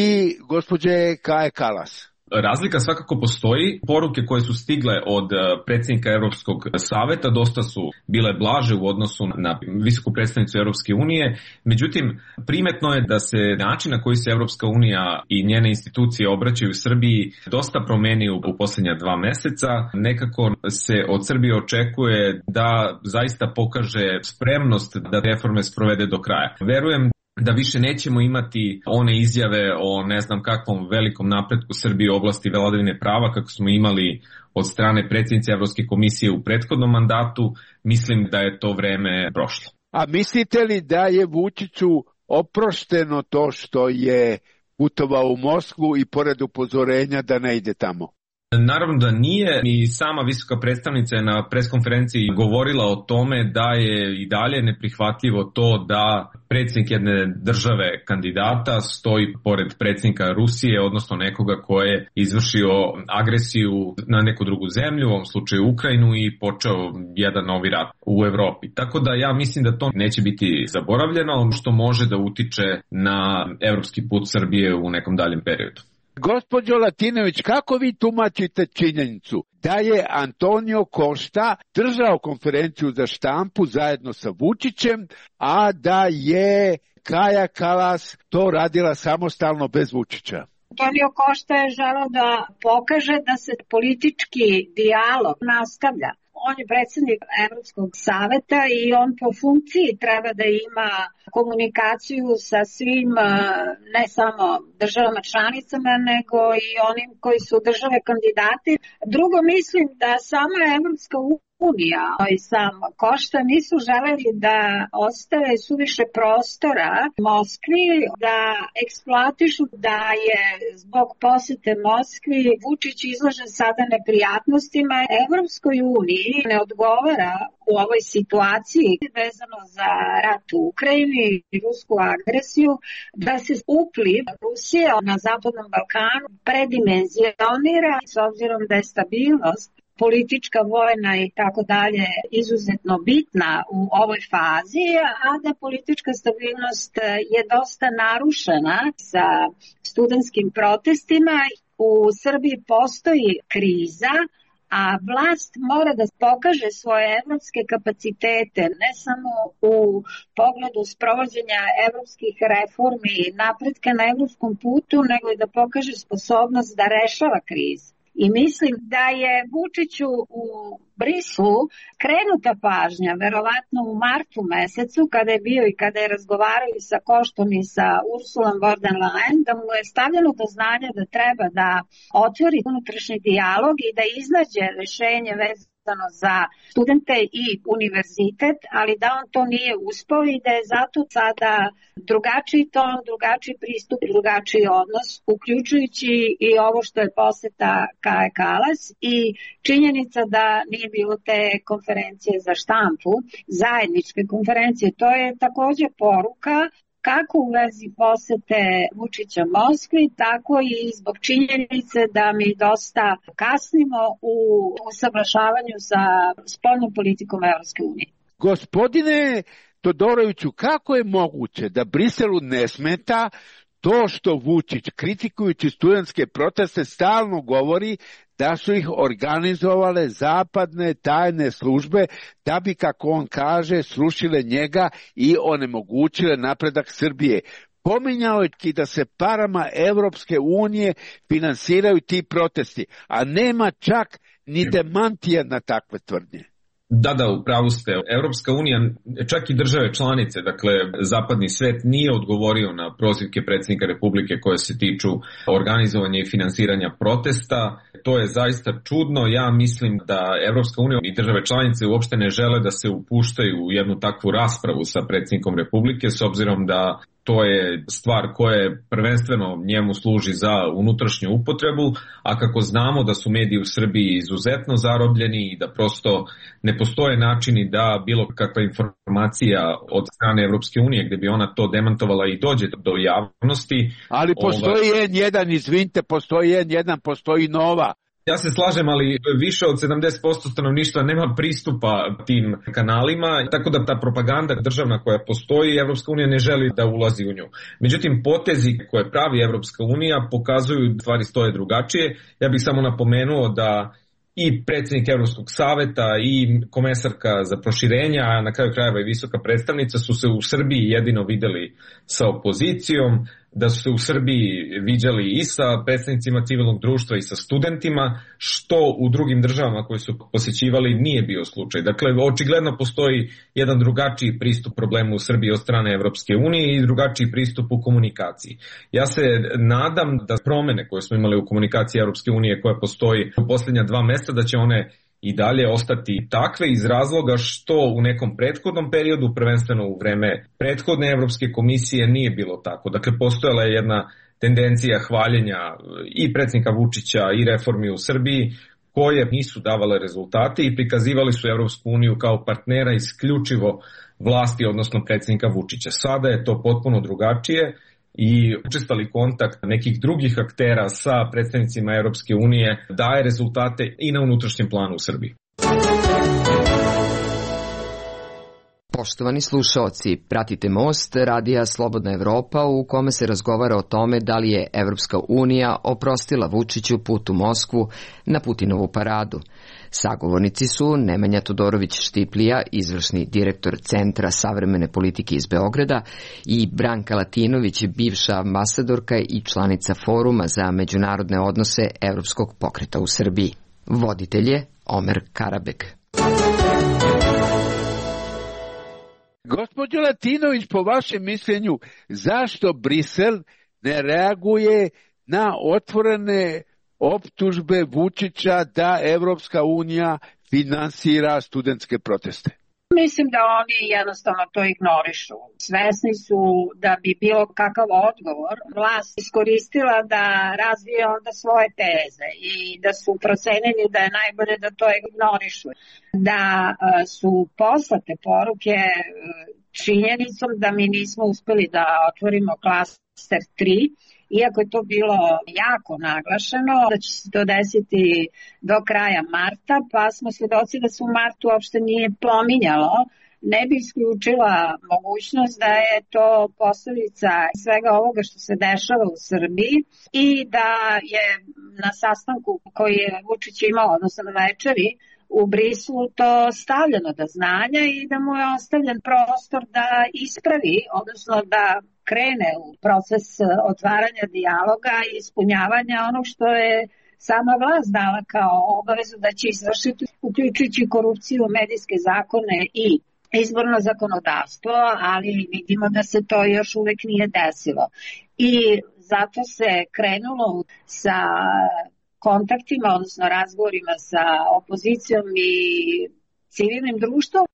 gospođe Kaje Kalas? Razlika svakako postoji. Poruke koje su stigle od predsjednika Europskog saveta dosta su bile blaže u odnosu na visoku predstavnicu Europske unije. Međutim, primetno je da se način na koji se Europska unija i njene institucije obraćaju Srbiji dosta promenio u posljednja 2 meseca. Nekako se od Srbije očekuje da zaista pokaže spremnost da reforme sprovede do kraja. Verujem da više nećemo imati one izjave o ne znam kakvom velikom napretku Srbije u oblasti vladavine prava kako smo imali od strane predsjednice Evropske komisije u prethodnom mandatu. Mislim da je to vreme prošlo. A mislite li da je Vučiću oprošteno to što je putovao u Moskvu i pored upozorenja da ne ide tamo? Naravno da nije. I sama visoka predstavnica je na preskonferenciji govorila o tome da je i dalje neprihvatljivo to da predsjednik jedne države kandidata stoji pored predsjednika Rusije, odnosno nekoga ko je izvršio agresiju na neku drugu zemlju, u ovom slučaju Ukrajinu, i počeo jedan novi rat u Evropi. Tako da ja mislim da to neće biti zaboravljeno, što može da utiče na evropski put Srbije u nekom daljem periodu. Gospođo Latinović, kako vi tumačite činjenicu da je Antonio Košta držao konferenciju za štampu zajedno sa Vučićem, a da je Kaja Kalas to radila samostalno bez Vučića? Antonio Košta je želeo da pokaže da se politički dijalog nastavlja. On je predsjednik Evropskog saveta i on po funkciji treba da ima komunikaciju sa svim, ne samo državama članicama, nego i onim koji su države kandidati. Drugo, mislim da sama Evropska unija i sam Košta nisu želeli da ostave suviše prostora Moskvi, da eksploatišu da je zbog posete Moskvi Vučić izložen sada neprijatnostima. Evropskoj uniji ne odgovara u ovoj situaciji vezano za rat u Ukrajini i rusku agresiju da se upliv Rusije na Zapadnom Balkanu predimenzionira s obzirom da je stabilnost politička, vojna i tako dalje izuzetno bitna u ovoj fazi, a da politička stabilnost je dosta narušena sa studentskim protestima. U Srbiji postoji kriza, a vlast mora da pokaže svoje evropske kapacitete, ne samo u pogledu sprovođenja evropskih reformi i napretka na evropskom putu, nego i da pokaže sposobnost da rešava krizu. I mislim da je Vučiću u Briselu krenuta pažnja, verovatno u martu mesecu, kada je bio i kada je razgovarao i sa Koštom i sa Ursulom von der Leyen, da mu je stavljeno do znanja da treba da otvori unutrašnji dijalog i da iznađe rešenje vezano za studente i univerzitet, ali da on to nije uspeo i da je zato sada drugačiji ton, drugačiji pristup, drugačiji odnos, uključujući i ovo što je poseta Kaje Kalas i činjenica da nije bilo te konferencije za štampu, zajedničke konferencije. To je takođe poruka kako u vezi posete Vučića Moskvi, tako i zbog činjenice da mi dosta kasnimo u usaglašavanju sa spoljnom politikom Evropske unije. Gospodine Todoroviću, kako je moguće da Briselu ne smeta to što Vučić, kritikujući studentske proteste, stalno govori da su ih organizovale zapadne tajne službe da bi, kako on kaže, srušile njega i onemogućile napredak Srbije. Pominjao je da se parama Evropske unije finansiraju ti protesti, a nema čak ni demantija na takve tvrdnje. Da, upravo ste. Evropska unija, čak i države članice, dakle zapadni svet, nije odgovorio na prozivke predsjednika Republike koje se tiču organizovanja i finansiranja protesta. To je zaista čudno. Ja mislim da Evropska unija i države članice uopšte ne žele da se upuštaju u jednu takvu raspravu sa predsjednikom Republike, s obzirom da to je stvar koja prvenstveno njemu služi za unutrašnju upotrebu, a kako znamo da su mediji u Srbiji izuzetno zarobljeni i da prosto ne postoje načini da bilo kakva informacija od strane Evropske unije gde bi ona to demantovala i dođe do javnosti. Ali postoji N1, izvinite, postoji N1, postoji Nova. Ja se slažem, ali više od 70% stanovništva nema pristupa tim kanalima, tako da ta propaganda državna koja postoji, Evropska unija ne želi da ulazi u nju. Međutim, potezi koje pravi Evropska unija pokazuju da stvari stoje drugačije. Ja bih samo napomenuo da i predsjednik Evropskog saveta i komesarka za proširenja, a na kraju krajeva i visoka predstavnica su se u Srbiji jedino videli sa opozicijom, da su se u Srbiji viđali i sa predstavnicima civilnog društva i sa studentima, što u drugim državama koje su posjećivali nije bio slučaj. Dakle, očigledno postoji jedan drugačiji pristup problemu u Srbiji od strane Evropske unije i drugačiji pristup u komunikaciji. Ja se nadam da promene koje smo imali u komunikaciji Evropske unije koja postoji u posljednja 2 mjeseca, da će one i dalje ostati takve iz razloga što u nekom prethodnom periodu, prvenstveno u vreme prethodne Evropske komisije, nije bilo tako. Dakle, postojala je jedna tendencija hvaljenja i predsjednika Vučića i reformi u Srbiji koje nisu davale rezultate i prikazivali su Evropsku uniju kao partnera isključivo vlasti, odnosno predsjednika Vučića. Sada je to potpuno drugačije i učestali kontakt nekih drugih aktera sa predstavnicima Europske unije daje rezultate i na unutrašnjem planu u Srbiji. Poštovani slušaoci, pratite Most, radija Slobodna Evropa, u kome se razgovara o tome da li je Evropska unija oprostila Vučiću put u Moskvu na Putinovu paradu. Sagovornici su Nemanja Todorović-Štiplija, izvršni direktor Centra savremene politike iz Beograda, i Branka Latinović, bivša ambasadorka i članica Foruma za međunarodne odnose Evropskog pokreta u Srbiji. Voditelj je Omer Karabek. Gospođo Latinović, po vašem mišljenju, zašto Brisel ne reaguje na otvorene optužbe Vučića da Evropska unija finansira studentske proteste? Mislim da oni jednostavno to ignorišu. Svesni su da bi bilo kakav odgovor vlast iskoristila da razvije onda svoje teze i da su procenili da je najbolje da to ignorišu. Da su poslate poruke činjenicom da mi nismo uspeli da otvorimo klaster 3, iako je to bilo jako naglašeno, da će se to desiti do kraja marta, pa smo svjedoci da se u martu uopšte nije pominjalo, ne bi isključila mogućnost da je to posljedica svega ovoga što se dešava u Srbiji i da je na sastanku koji je Vučić imao, odnosno na večeri u Brislu, to stavljeno do znanja i da mu je ostavljen prostor da ispravi, odnosno da krene u proces otvaranja dijaloga i ispunjavanja onog što je sama vlast dala kao obavezu da će izvršiti, uključujući korupciju, medijske zakone i izborno zakonodavstvo, ali vidimo da se to još uvek nije desilo. I zato se krenulo sa kontaktima, odnosno razgovorima sa opozicijom i civilnim društvom.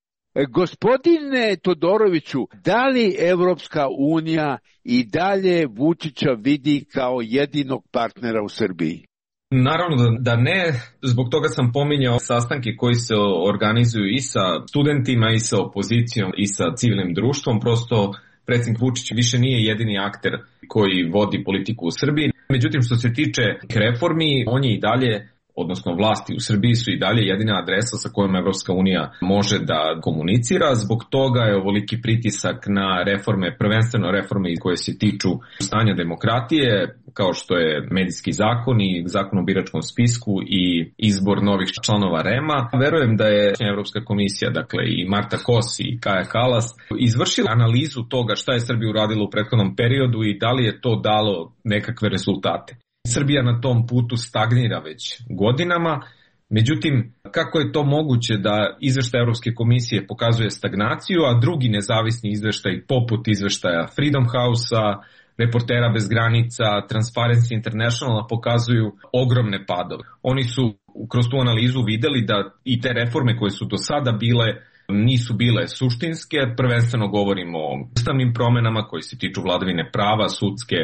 Gospodine Todoroviću, da li Evropska unija i dalje Vučića vidi kao jedinog partnera u Srbiji? Naravno da ne, zbog toga sam pominjao sastanke koji se organizuju i sa studentima i sa opozicijom i sa civilnim društvom. Prosto predsjednik Vučić više nije jedini akter koji vodi politiku u Srbiji. Međutim, što se tiče reformi, on je i dalje, odnosno vlasti u Srbiji su i dalje jedina adresa sa kojom Evropska unija može da komunicira. Zbog toga je ovoliki pritisak na reforme, prvenstveno reforme koje se tiču stanja demokratije, kao što je medijski zakon i zakon o biračkom spisku i izbor novih članova REM-a. Verujem da je Evropska komisija, dakle i Marta Kos i Kaja Kalas, izvršila analizu toga šta je Srbija uradila u prethodnom periodu i da li je to dalo nekakve rezultate. Srbija na tom putu stagnira već godinama, međutim, kako je to moguće da izveštaj Evropske komisije pokazuje stagnaciju, a drugi nezavisni izveštaj poput izveštaja Freedom House-a, Reportera bez granica, Transparency Internationala pokazuju ogromne padove. Oni su kroz tu analizu videli da i te reforme koje su do sada bile nisu bile suštinske, prvenstveno govorimo o ustavnim promenama koji se tiču vladavine prava, sudske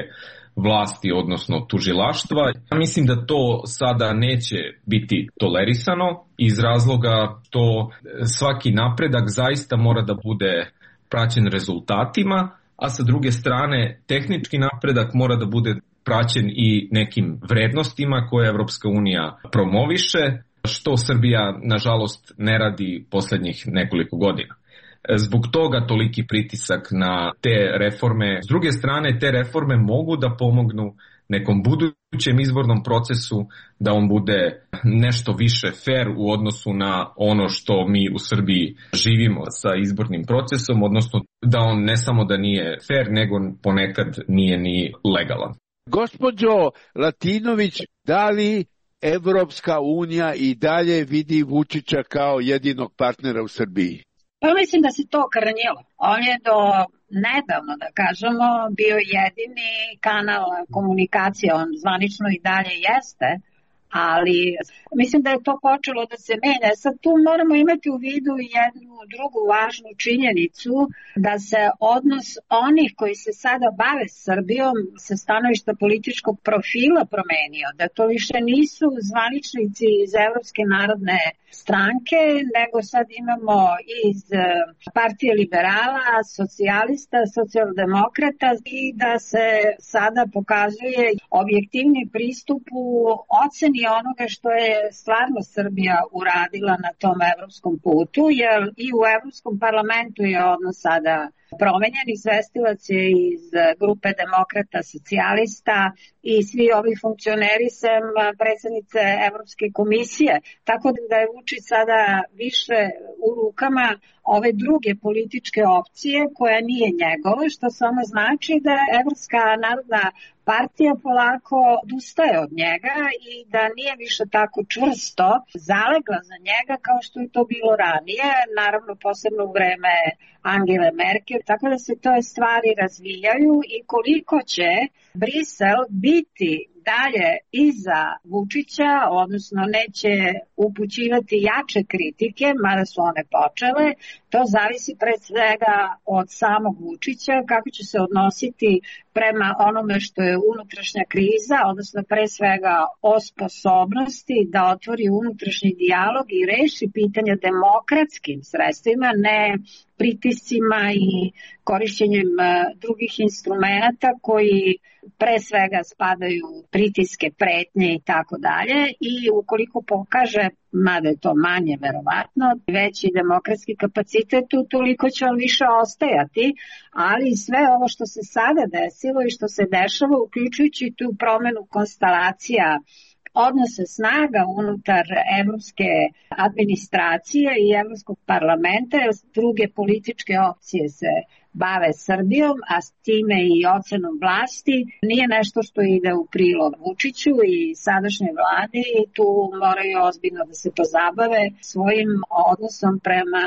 vlasti, odnosno tužilaštva. Mislim da to sada neće biti tolerisano iz razloga što svaki napredak zaista mora da bude praćen rezultatima, a sa druge strane tehnički napredak mora da bude praćen i nekim vrednostima koje Evropska unija promoviše, što Srbija nažalost ne radi poslednjih nekoliko godina. Zbog toga toliki pritisak na te reforme. S druge strane, te reforme mogu da pomognu nekom budućem izbornom procesu da on bude nešto više fair u odnosu na ono što mi u Srbiji živimo sa izbornim procesom, odnosno da on ne samo da nije fair, nego ponekad nije ni legalan. Gospođo Latinović, da li Evropska unija i dalje vidi Vučića kao jedinog partnera u Srbiji? Pa mislim da se to krnjilo. On je do nedavno, da kažemo, bio jedini kanal komunikacije, on zvanično i dalje jeste, ali mislim da je to počelo da se menja. Sad tu moramo imati u vidu jednu drugu važnu činjenicu, da se odnos onih koji se sada bave Srbijom sa stanovišta političkog profila promenio, da to više nisu zvaničnici iz Evropske narodne stranke, nego sad imamo iz Partije liberala, socijalista, socijaldemokrata i da se sada pokazuje objektivni pristup u oceni onoga što je stvarno Srbija uradila na tom evropskom putu, jer i u Evropskom parlamentu je odnos sada promenjen. Izvestilac je iz grupe demokrata, socijalista i svi ovi funkcioneri sem predsjednice Evropske komisije. Tako da je Vučić sada više u rukama ove druge političke opcije koja nije njegova, što samo znači da Evropska narodna partija polako odustaje od njega i da nije više tako čvrsto zalegla za njega kao što je to bilo ranije, naravno posebno u vreme Angele Merkel, tako da se to stvari razvijaju i koliko će Brisel biti dalje iza Vučića, odnosno neće upućivati jače kritike, mada su one počele, to zavisi pred svega od samog Vučića, kako će se odnositi prema onome što je unutrašnja kriza, odnosno pre svega o sposobnosti da otvori unutrašnji dijalog i reši pitanja demokratskim sredstvima, ne pritiscima i korišćenjem drugih instrumenta koji pre svega spadaju pritiske, pretnje i tako dalje, i ukoliko pokaže, mada je to manje verovatno, veći demokratski kapacitet, toliko će on više ostajati, ali sve ovo što se sada desilo i što se dešava, uključujući tu promenu konstelacija odnose snaga unutar evropske administracije i evropskog parlamenta, jer druge političke opcije se bave Srbijom, a s time i ocenom vlasti, nije nešto što ide u prilog Vučiću i sadašnjoj vladi, i tu moraju ozbiljno da se pozabave svojim odnosom prema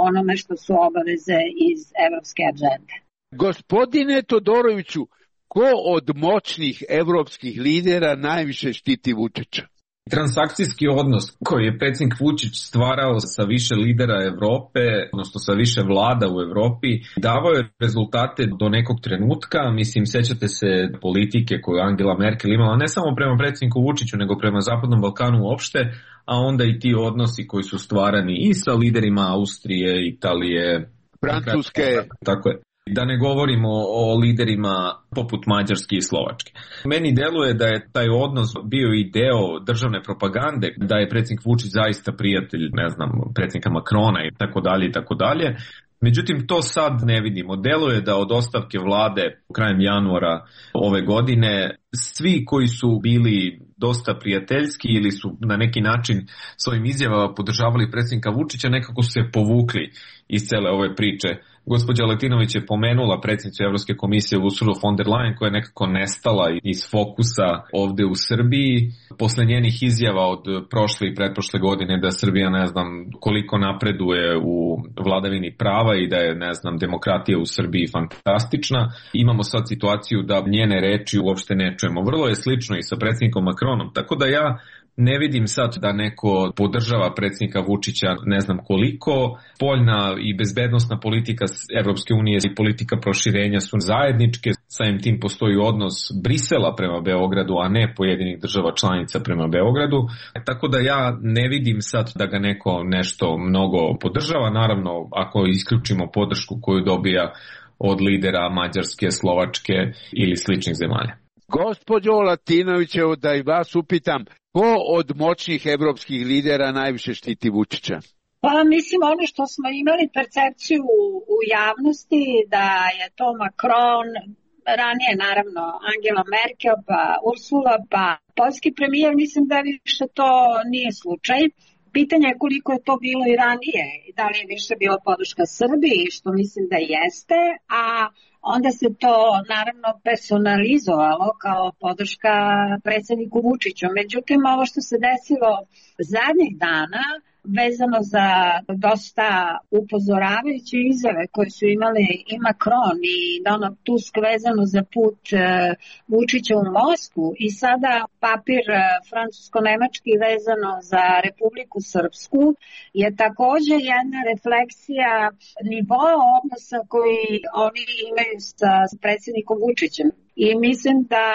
onome što su obaveze iz evropske agende. Gospodine Todoroviću, ko od moćnih evropskih lidera najviše štiti Vučića? Transakcijski odnos koji je predsjednik Vučić stvarao sa više lidera Evrope, odnosno sa više vlada u Evropi, davao je rezultate do nekog trenutka. Mislim, sećate se politike koju Angela Merkel imala ne samo prema predsjedniku Vučiću, nego prema Zapadnom Balkanu uopšte, a onda i ti odnosi koji su stvarani i sa liderima Austrije, Italije, Francuske. Tako je. Da ne govorimo o liderima poput Mađarske i Slovačke. Meni deluje da je taj odnos bio i deo državne propagande, da je predsjednik Vučić zaista prijatelj, ne znam, predsjednika Makrona i tako dalje i tako dalje. Međutim, to sad ne vidimo. Deluje da od ostavke vlade krajem januara ove godine svi koji su bili dosta prijateljski ili su na neki način svojim izjavama podržavali predsjednika Vučića, nekako su se povukli iz cele ove priče. Gospođa Latinović je pomenula predsjednicu Evropske komisije Ursulu von der Leyen, koja je nekako nestala iz fokusa ovde u Srbiji. Posle njenih izjava od prošle i pretprošle godine da Srbija ne znam koliko napreduje u vladavini prava i da je ne znam demokratija u Srbiji fantastična, imamo sad situaciju da njene reči uopšte ne čujemo. Vrlo je slično i sa predsjednikom Macronom, tako da ja Ne vidim sad da neko podržava predsjednika Vučića ne znam koliko. Spoljna i bezbednosna politika Evropske unije i politika proširenja su zajedničke. Samim tim postoji odnos Brisela prema Beogradu, a ne pojedinih država članica prema Beogradu. Tako da ja ne vidim sad da ga neko nešto mnogo podržava. Naravno, ako isključimo podršku koju dobija od lidera Mađarske, Slovačke ili sličnih zemalja. Gospođo Latinovićevo, da i vas upitam, ko od moćnih evropskih lidera najviše štiti Vučića? Pa mislim ono što smo imali percepciju u javnosti da je to Macron, ranije naravno Angela Merkel, pa Ursula, pa poljski premijer, mislim da više to nije slučaj. Pitanje je koliko je to bilo i ranije, da li je više bilo podrška Srbiji, što mislim da jeste, a onda se to naravno personalizovalo kao podrška predsjedniku Vučiću. Međutim, ovo što se desilo zadnjih dana, vezano za dosta upozoravajuće izjave koje su imali i Macron i Donald Tusk vezano za put Vučića u Moskvu i sada papir francusko-nemački vezano za Republiku Srpsku je također jedna refleksija nivoa odnosa koji oni imaju sa predsjednikom Vučićem. I mislim da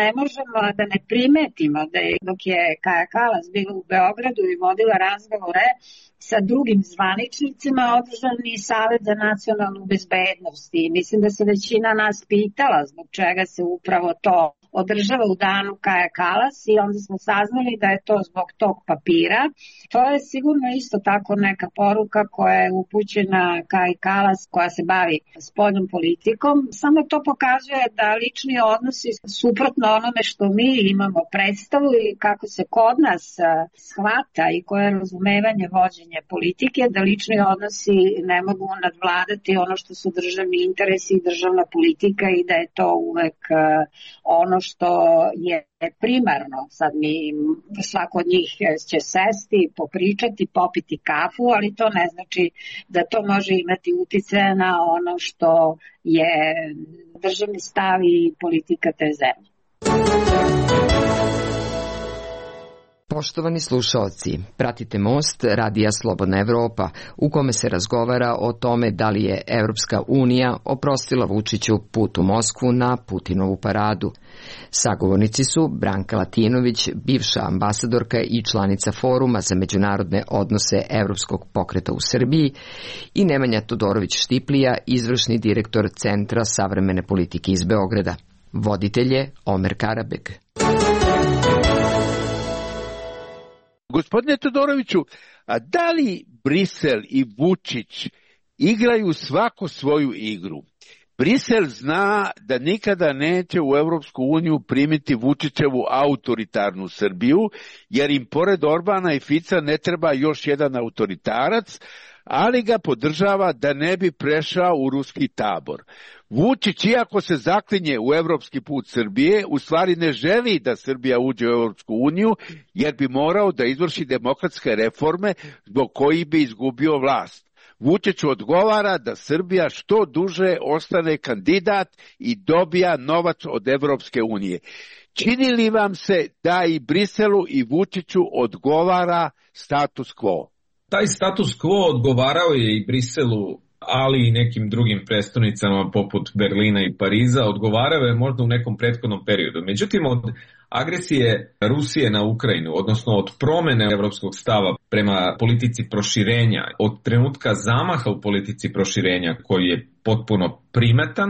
ne možemo da ne primetimo da je, dok je Kaja Kalas bila u Beogradu i vodila razgovore sa drugim zvaničnicima, održan i Savet za nacionalnu bezbednost. I mislim da se većina nas pitala zbog čega se upravo to održava u danu Kaja Kalas i onda smo saznali da je to zbog tog papira. To je sigurno isto tako neka poruka koja je upućena Kaji Kalas koja se bavi spoljnom politikom. Samo to pokazuje da lični odnosi suprotno onome što mi imamo predstavu i kako se kod nas shvata i koje je razumevanje vođenja politike, da lični odnosi ne mogu nadvladati ono što su državni interesi i državna politika i da je to uvek ono što je primarno. Sad svako od njih će sesti, popričati, popiti kafu, ali to ne znači da to može imati uticaja na ono što je državni stav i politika te zemlje. Poštovani slušalci, pratite Most Radija Slobodna Evropa, u kome se razgovara o tome da li je Evropska unija oprostila Vučiću put u Moskvu na Putinovu paradu. Sagovornici su Branka Latinović, bivša ambasadorka i članica Foruma za međunarodne odnose Evropskog pokreta u Srbiji, i Nemanja Todorović-Štiplija, izvršni direktor Centra savremene politike iz Beograda. Voditelj je Omer Karabeg. Gospodine Todoroviću, a da li Brisel i Vučić igraju svako svoju igru? Brisel zna da nikada neće u Evropsku uniju primiti Vučićevu autoritarnu Srbiju, jer im pored Orbana i Fica ne treba još jedan autoritarac, ali ga podržava da ne bi prešao u ruski tabor. Vučić, iako se zaklinje u evropski put Srbije, u stvari ne želi da Srbija uđe u Evropsku uniju, jer bi morao da izvrši demokratske reforme zbog kojih bi izgubio vlast. Vučić odgovara da Srbija što duže ostane kandidat i dobija novac od Evropske unije. Čini li vam se da i Briselu i Vučiću odgovara status quo? Taj status quo odgovarao je i Briselu, ali i nekim drugim prestonicama poput Berlina i Pariza, odgovarao je možda u nekom prethodnom periodu. Međutim, od agresije Rusije na Ukrajinu, odnosno od promene evropskog stava prema politici proširenja, od trenutka zamaha u politici proširenja koji je potpuno primetan,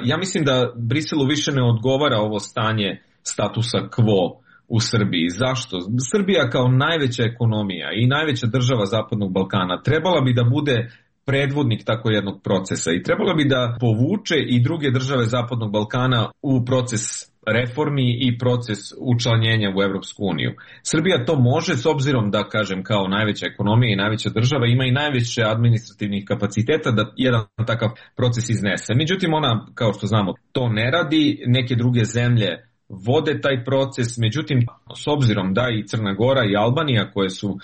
ja mislim da Briselu više ne odgovara ovo stanje statusa quo u Srbiji. Zašto? Srbija kao najveća ekonomija i najveća država Zapadnog Balkana trebala bi da bude predvodnik tako jednog procesa i trebala bi da povuče i druge države Zapadnog Balkana u proces reformi i proces učlanjenja u Evropsku uniju. Srbija to može s obzirom da, kažem, kao najveća ekonomija i najveća država ima i najveće administrativnih kapaciteta da jedan takav proces iznese. Međutim, ona, kao što znamo, to ne radi. Neke druge zemlje vode taj proces, međutim, s obzirom da i Crna Gora i Albanija, koje su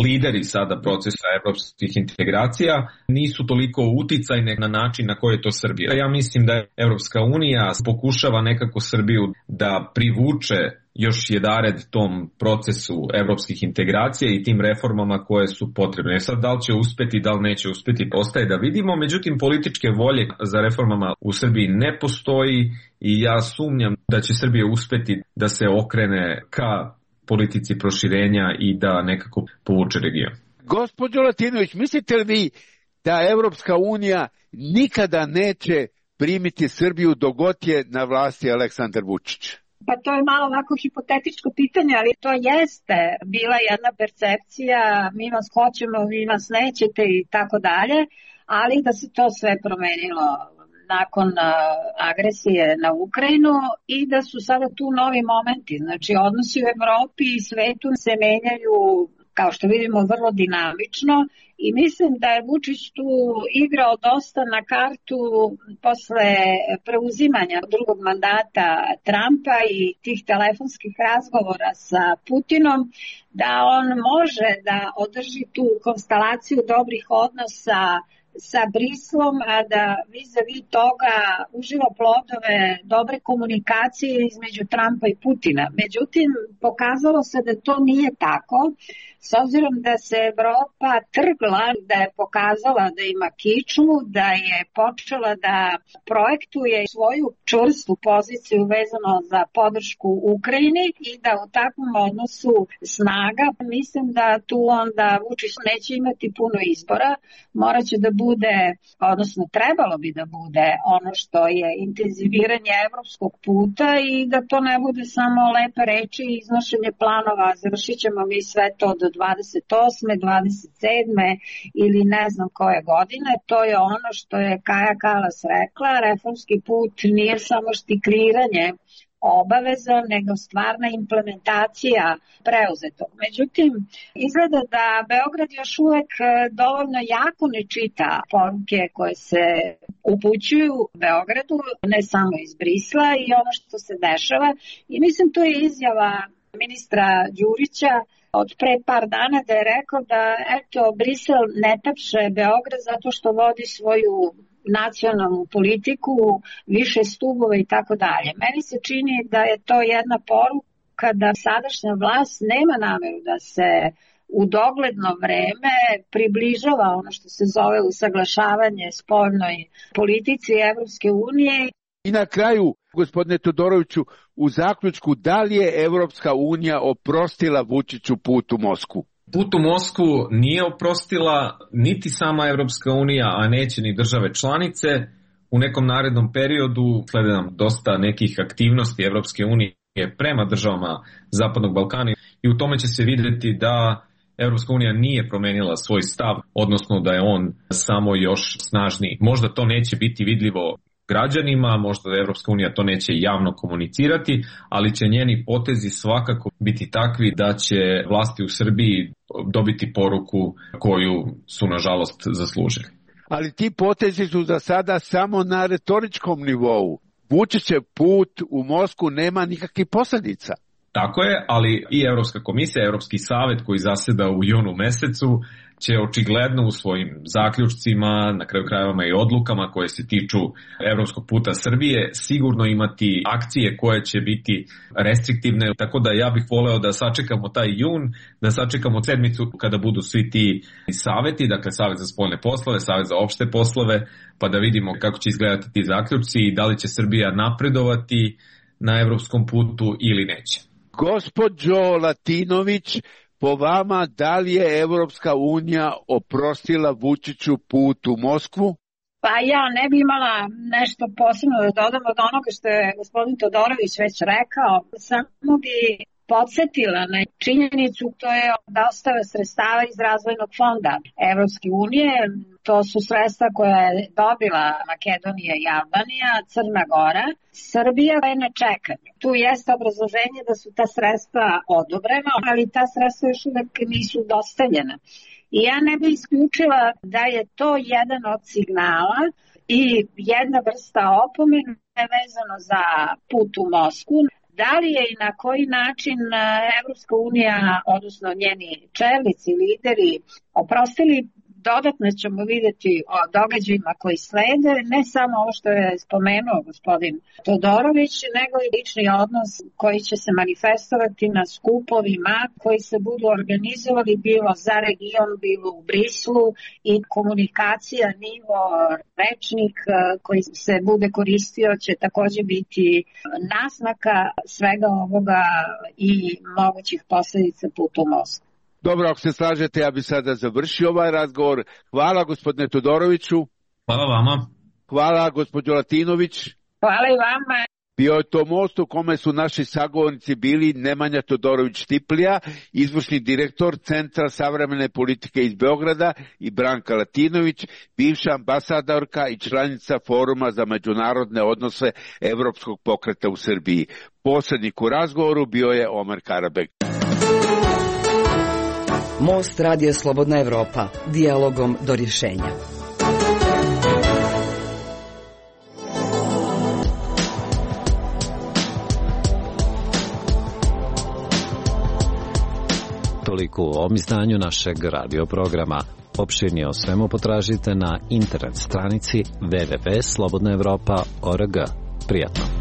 lideri sada procesa evropskih integracija, nisu toliko uticajne na način na koji je to Srbija. Ja mislim da Evropska unija pokušava nekako Srbiju da privuče još jedared tom procesu evropskih integracija i tim reformama koje su potrebne. Sad, da li će uspeti, da li neće uspeti, ostaje da vidimo, međutim političke volje za reformama u Srbiji ne postoji i ja sumnjam da će Srbija uspeti da se okrene ka politici proširenja i da nekako povuče region. Gospođo Latinović, mislite li vi da Evropska unija nikada neće primiti Srbiju dok god je na vlasti Aleksandar Vučić? Pa to je malo ovako hipotetičko pitanje, ali to jeste bila jedna percepcija, mi vas hoćemo, vi vas nećete i tako dalje, ali da se to sve promenilo nakon agresije na Ukrajinu i da su sada tu novi momenti. Znači, odnosi u Evropi i svetu se menjaju, kao što vidimo, vrlo dinamično i mislim da je Vučić tu igrao dosta na kartu posle preuzimanja drugog mandata Trumpa i tih telefonskih razgovora sa Putinom, da on može da održi tu konstelaciju dobrih odnosa sa Brislom, a da vis-a-vis toga uživa plodove dobre komunikacije između Trumpa i Putina. Međutim, pokazalo se da to nije tako, s obzirom da se Evropa trgla, da je pokazala da ima kičmu, da je počela da projektuje svoju čvrstu poziciju vezano za podršku Ukrajini i da u takvom odnosu snaga, mislim da tu onda Vučić neće imati puno izbora, moraće da bude, odnosno trebalo bi da bude ono što je intenziviranje evropskog puta i da to ne bude samo lepe reči i iznošenje planova, završit ćemo mi sve to do 28. 27. ili ne znam koje godine. To je ono što je Kaja Kalas rekla, reformski put nije samo štikliranje obaveza, nego stvarna implementacija preuzetog. Međutim, izgleda da Beograd još uvek dovoljno jako ne čita poruke koje se upućuju Beogradu, ne samo iz Brisla i ono što se dešava. I mislim, to je izjava ministra Đurića od pre par dana da je rekao da Brisel ne tapše Beograd zato što vodi svoju nacionalnu politiku, više stubova i tako dalje. Meni se čini da je to jedna poruka da sadašnja vlast nema nameru da se u dogledno vreme približava ono što se zove usaglašavanje spoljnoj politici Evropske unije. I na kraju, gospodine Todoroviću, u zaključku, da li je Evropska unija oprostila Vučiću put u Moskvu? Put u Moskvu nije oprostila niti sama Evropska unija, a neće ni države članice. U nekom narednom periodu slede nam dosta nekih aktivnosti Evropske unije prema državama Zapadnog Balkana i u tome će se vidjeti da Evropska unija nije promenila svoj stav, odnosno da je on samo još snažniji. Možda to neće biti vidljivo građanima, možda Evropska unija to neće javno komunicirati, ali će njeni potezi svakako biti takvi da će vlasti u Srbiji dobiti poruku koju su nažalost zaslužili. Ali ti potezi su za sada samo na retoričkom nivou. Vučićev put u Moskvu nema nikakvih posljedica. Tako je, ali i Evropska komisija, Evropski savet koji zaseda u junu mesecu će očigledno u svojim zaključcima, na kraju krajeva i odlukama koje se tiču evropskog puta Srbije, sigurno imati akcije koje će biti restriktivne, tako da ja bih voleo da sačekamo taj jun, da sačekamo sedmicu kada budu svi ti saveti, dakle Savet za spoljne poslove, Savet za opšte poslove, pa da vidimo kako će izgledati ti zaključci i da li će Srbija napredovati na evropskom putu ili neće. Gospođo Latinović, po vama, da li je Evropska unija oprostila Vučiću put u Moskvu? Pa ja ne bi imala nešto posebno da dodam od onoga što je gospodin Todorović već rekao. Samo bi podsjetila na činjenicu, to je dostava sredstava iz razvojnog fonda Evropske unije. To su sredstva koje je dobila Makedonija i Albanija, Crna Gora. Srbija je na čekanju. Tu jeste obrazloženje da su ta sredstva odobrena, ali ta sredstva još uvek nisu dostavljena. I ja ne bih isključila da je to jedan od signala i jedna vrsta opomene vezano za put u Moskvu. Da li je i na koji način Evropska unija, odnosno njeni čelnici, lideri, oprostili, Dodatno ćemo vidjeti o događajima koji slede, ne samo ovo što je spomenuo gospodin Todorović, nego i lični odnos koji će se manifestovati na skupovima koji se budu organizovali bilo za region, bilo u Brislu i komunikacija, nivo, rečnik koji se bude koristio će također biti naznaka svega ovoga i mogućih posljedica puta u Moskvu. Dobro, ako se slažete, ja bih sada završio ovaj razgovor. Hvala gospodine Todoroviću. Hvala vama. Hvala gospođo Latinović. Hvala i vama. Bio je to most u kome su naši sagovornici bili Nemanja Todorović-Tiplija, izvršni direktor Centra savremene politike iz Beograda, i Branka Latinović, bivša ambasadorka i članica Foruma za međunarodne odnose Evropskog pokreta u Srbiji. Posrednik u razgovoru bio je Omer Karabek. Most Radio Slobodna Evropa, dijalogom do rješenja. Toliko u ovom izdanju našeg radio programa. Opširnije o svemu potražite na internet stranici www.slobodnaevropa.org. Prijatno.